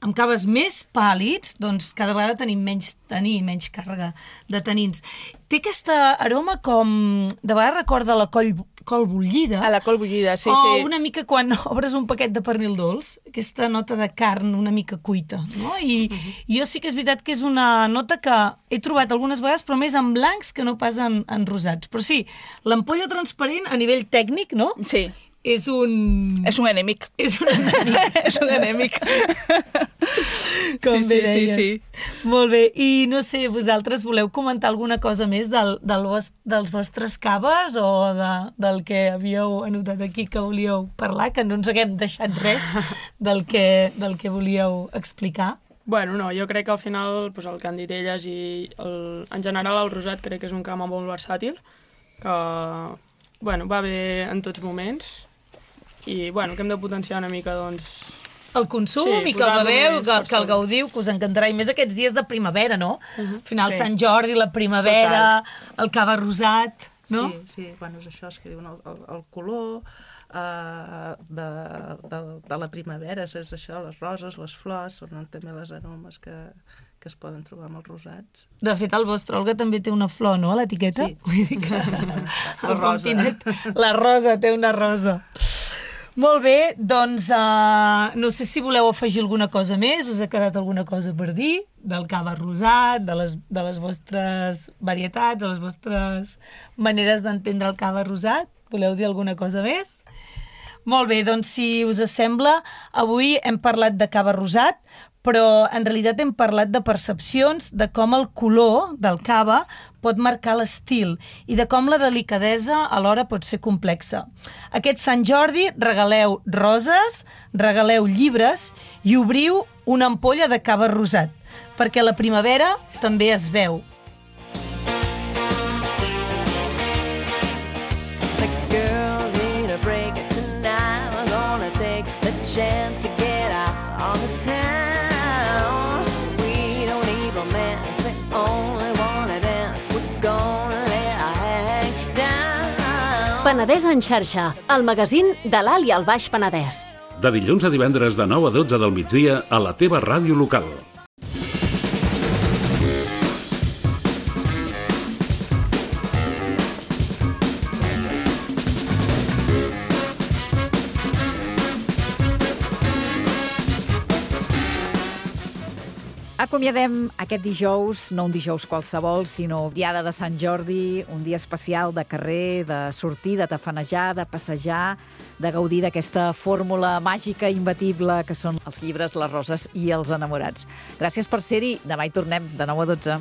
[SPEAKER 9] amb caves més pàl·lids, doncs cada vegada tenim menys taní, menys càrrega de tanins. Té aquesta aroma com... De vegades recorda la col, col bullida.
[SPEAKER 10] A la col bullida, sí,
[SPEAKER 9] o
[SPEAKER 10] sí.
[SPEAKER 9] una mica quan obres un paquet de pernil dolç, aquesta nota de carn una mica cuita, no? I jo sí que és veritat que és una nota que he trobat algunes vegades, però més en blancs que no pas en, en rosats. Però sí, l'ampolla transparent a nivell tècnic, no?
[SPEAKER 10] Sí.
[SPEAKER 9] és un...
[SPEAKER 10] És un enemic.
[SPEAKER 9] És un enemic.
[SPEAKER 10] És un enemic.
[SPEAKER 9] Com
[SPEAKER 10] sí,
[SPEAKER 9] bé
[SPEAKER 10] sí,
[SPEAKER 9] deies.
[SPEAKER 10] sí, sí.
[SPEAKER 9] Molt bé. I no sé, vosaltres voleu comentar alguna cosa més del, del vos, dels vostres caves o de, del que havíeu anotat aquí que volíeu parlar, que no ens haguem deixat res del que, del que volíeu explicar?
[SPEAKER 11] Bueno, no, jo crec que al final pues, el que han dit elles i el, en general el rosat crec que és un camp molt versàtil, que bueno, va bé en tots moments i bueno, que hem de potenciar una mica doncs,
[SPEAKER 9] el consum sí, i que el beveu, que, que el gaudiu, que us encantarà, i més aquests dies de primavera, no? Uh-huh. Al final, sí. Sant Jordi, la primavera, total. El cava rosat, no?
[SPEAKER 12] Sí, sí, bueno, és això, és que diuen el, el, el color uh, de, de, de la primavera, és això, les roses, les flors, són també les aromes que, que es poden trobar amb els rosats.
[SPEAKER 9] De fet, el vostre Olga també té una flor, no?, a l'etiqueta?
[SPEAKER 12] Sí.
[SPEAKER 9] Vull dir que...
[SPEAKER 12] la rosa.
[SPEAKER 9] La rosa, té una rosa. Molt bé, doncs uh, no sé si voleu afegir alguna cosa més, us ha quedat alguna cosa per dir del cava rosat, de les, de les vostres varietats, de les vostres maneres d'entendre el cava rosat. Voleu dir alguna cosa més? Molt bé, doncs si us sembla, avui hem parlat de cava rosat, però en realitat hem parlat de percepcions, de com el color del cava pot marcar l'estil i de com la delicadesa alhora pot ser complexa. Aquest Sant Jordi regaleu roses, regaleu llibres i obriu una ampolla de cava rosat, perquè la primavera també es veu.
[SPEAKER 1] The girls need a break tonight. We're gonna take the chance to get out on the town. We don't need romance, we only wanna dance. We're gonna let our hang down.
[SPEAKER 13] Penedès en xarxa, el magazín de l'Alt i el Baix Penedès.
[SPEAKER 3] De dilluns a divendres de nou a dotze del migdia a la teva ràdio local.
[SPEAKER 2] Acomiadem aquest dijous, no un dijous qualsevol, sinó diada de Sant Jordi, un dia especial de carrer, de sortir, de tafanejar, de passejar, de gaudir d'aquesta fórmula màgica i imbatible que són els llibres, les roses i els enamorats. Gràcies per ser-hi. Demà hi tornem de nou a dotze.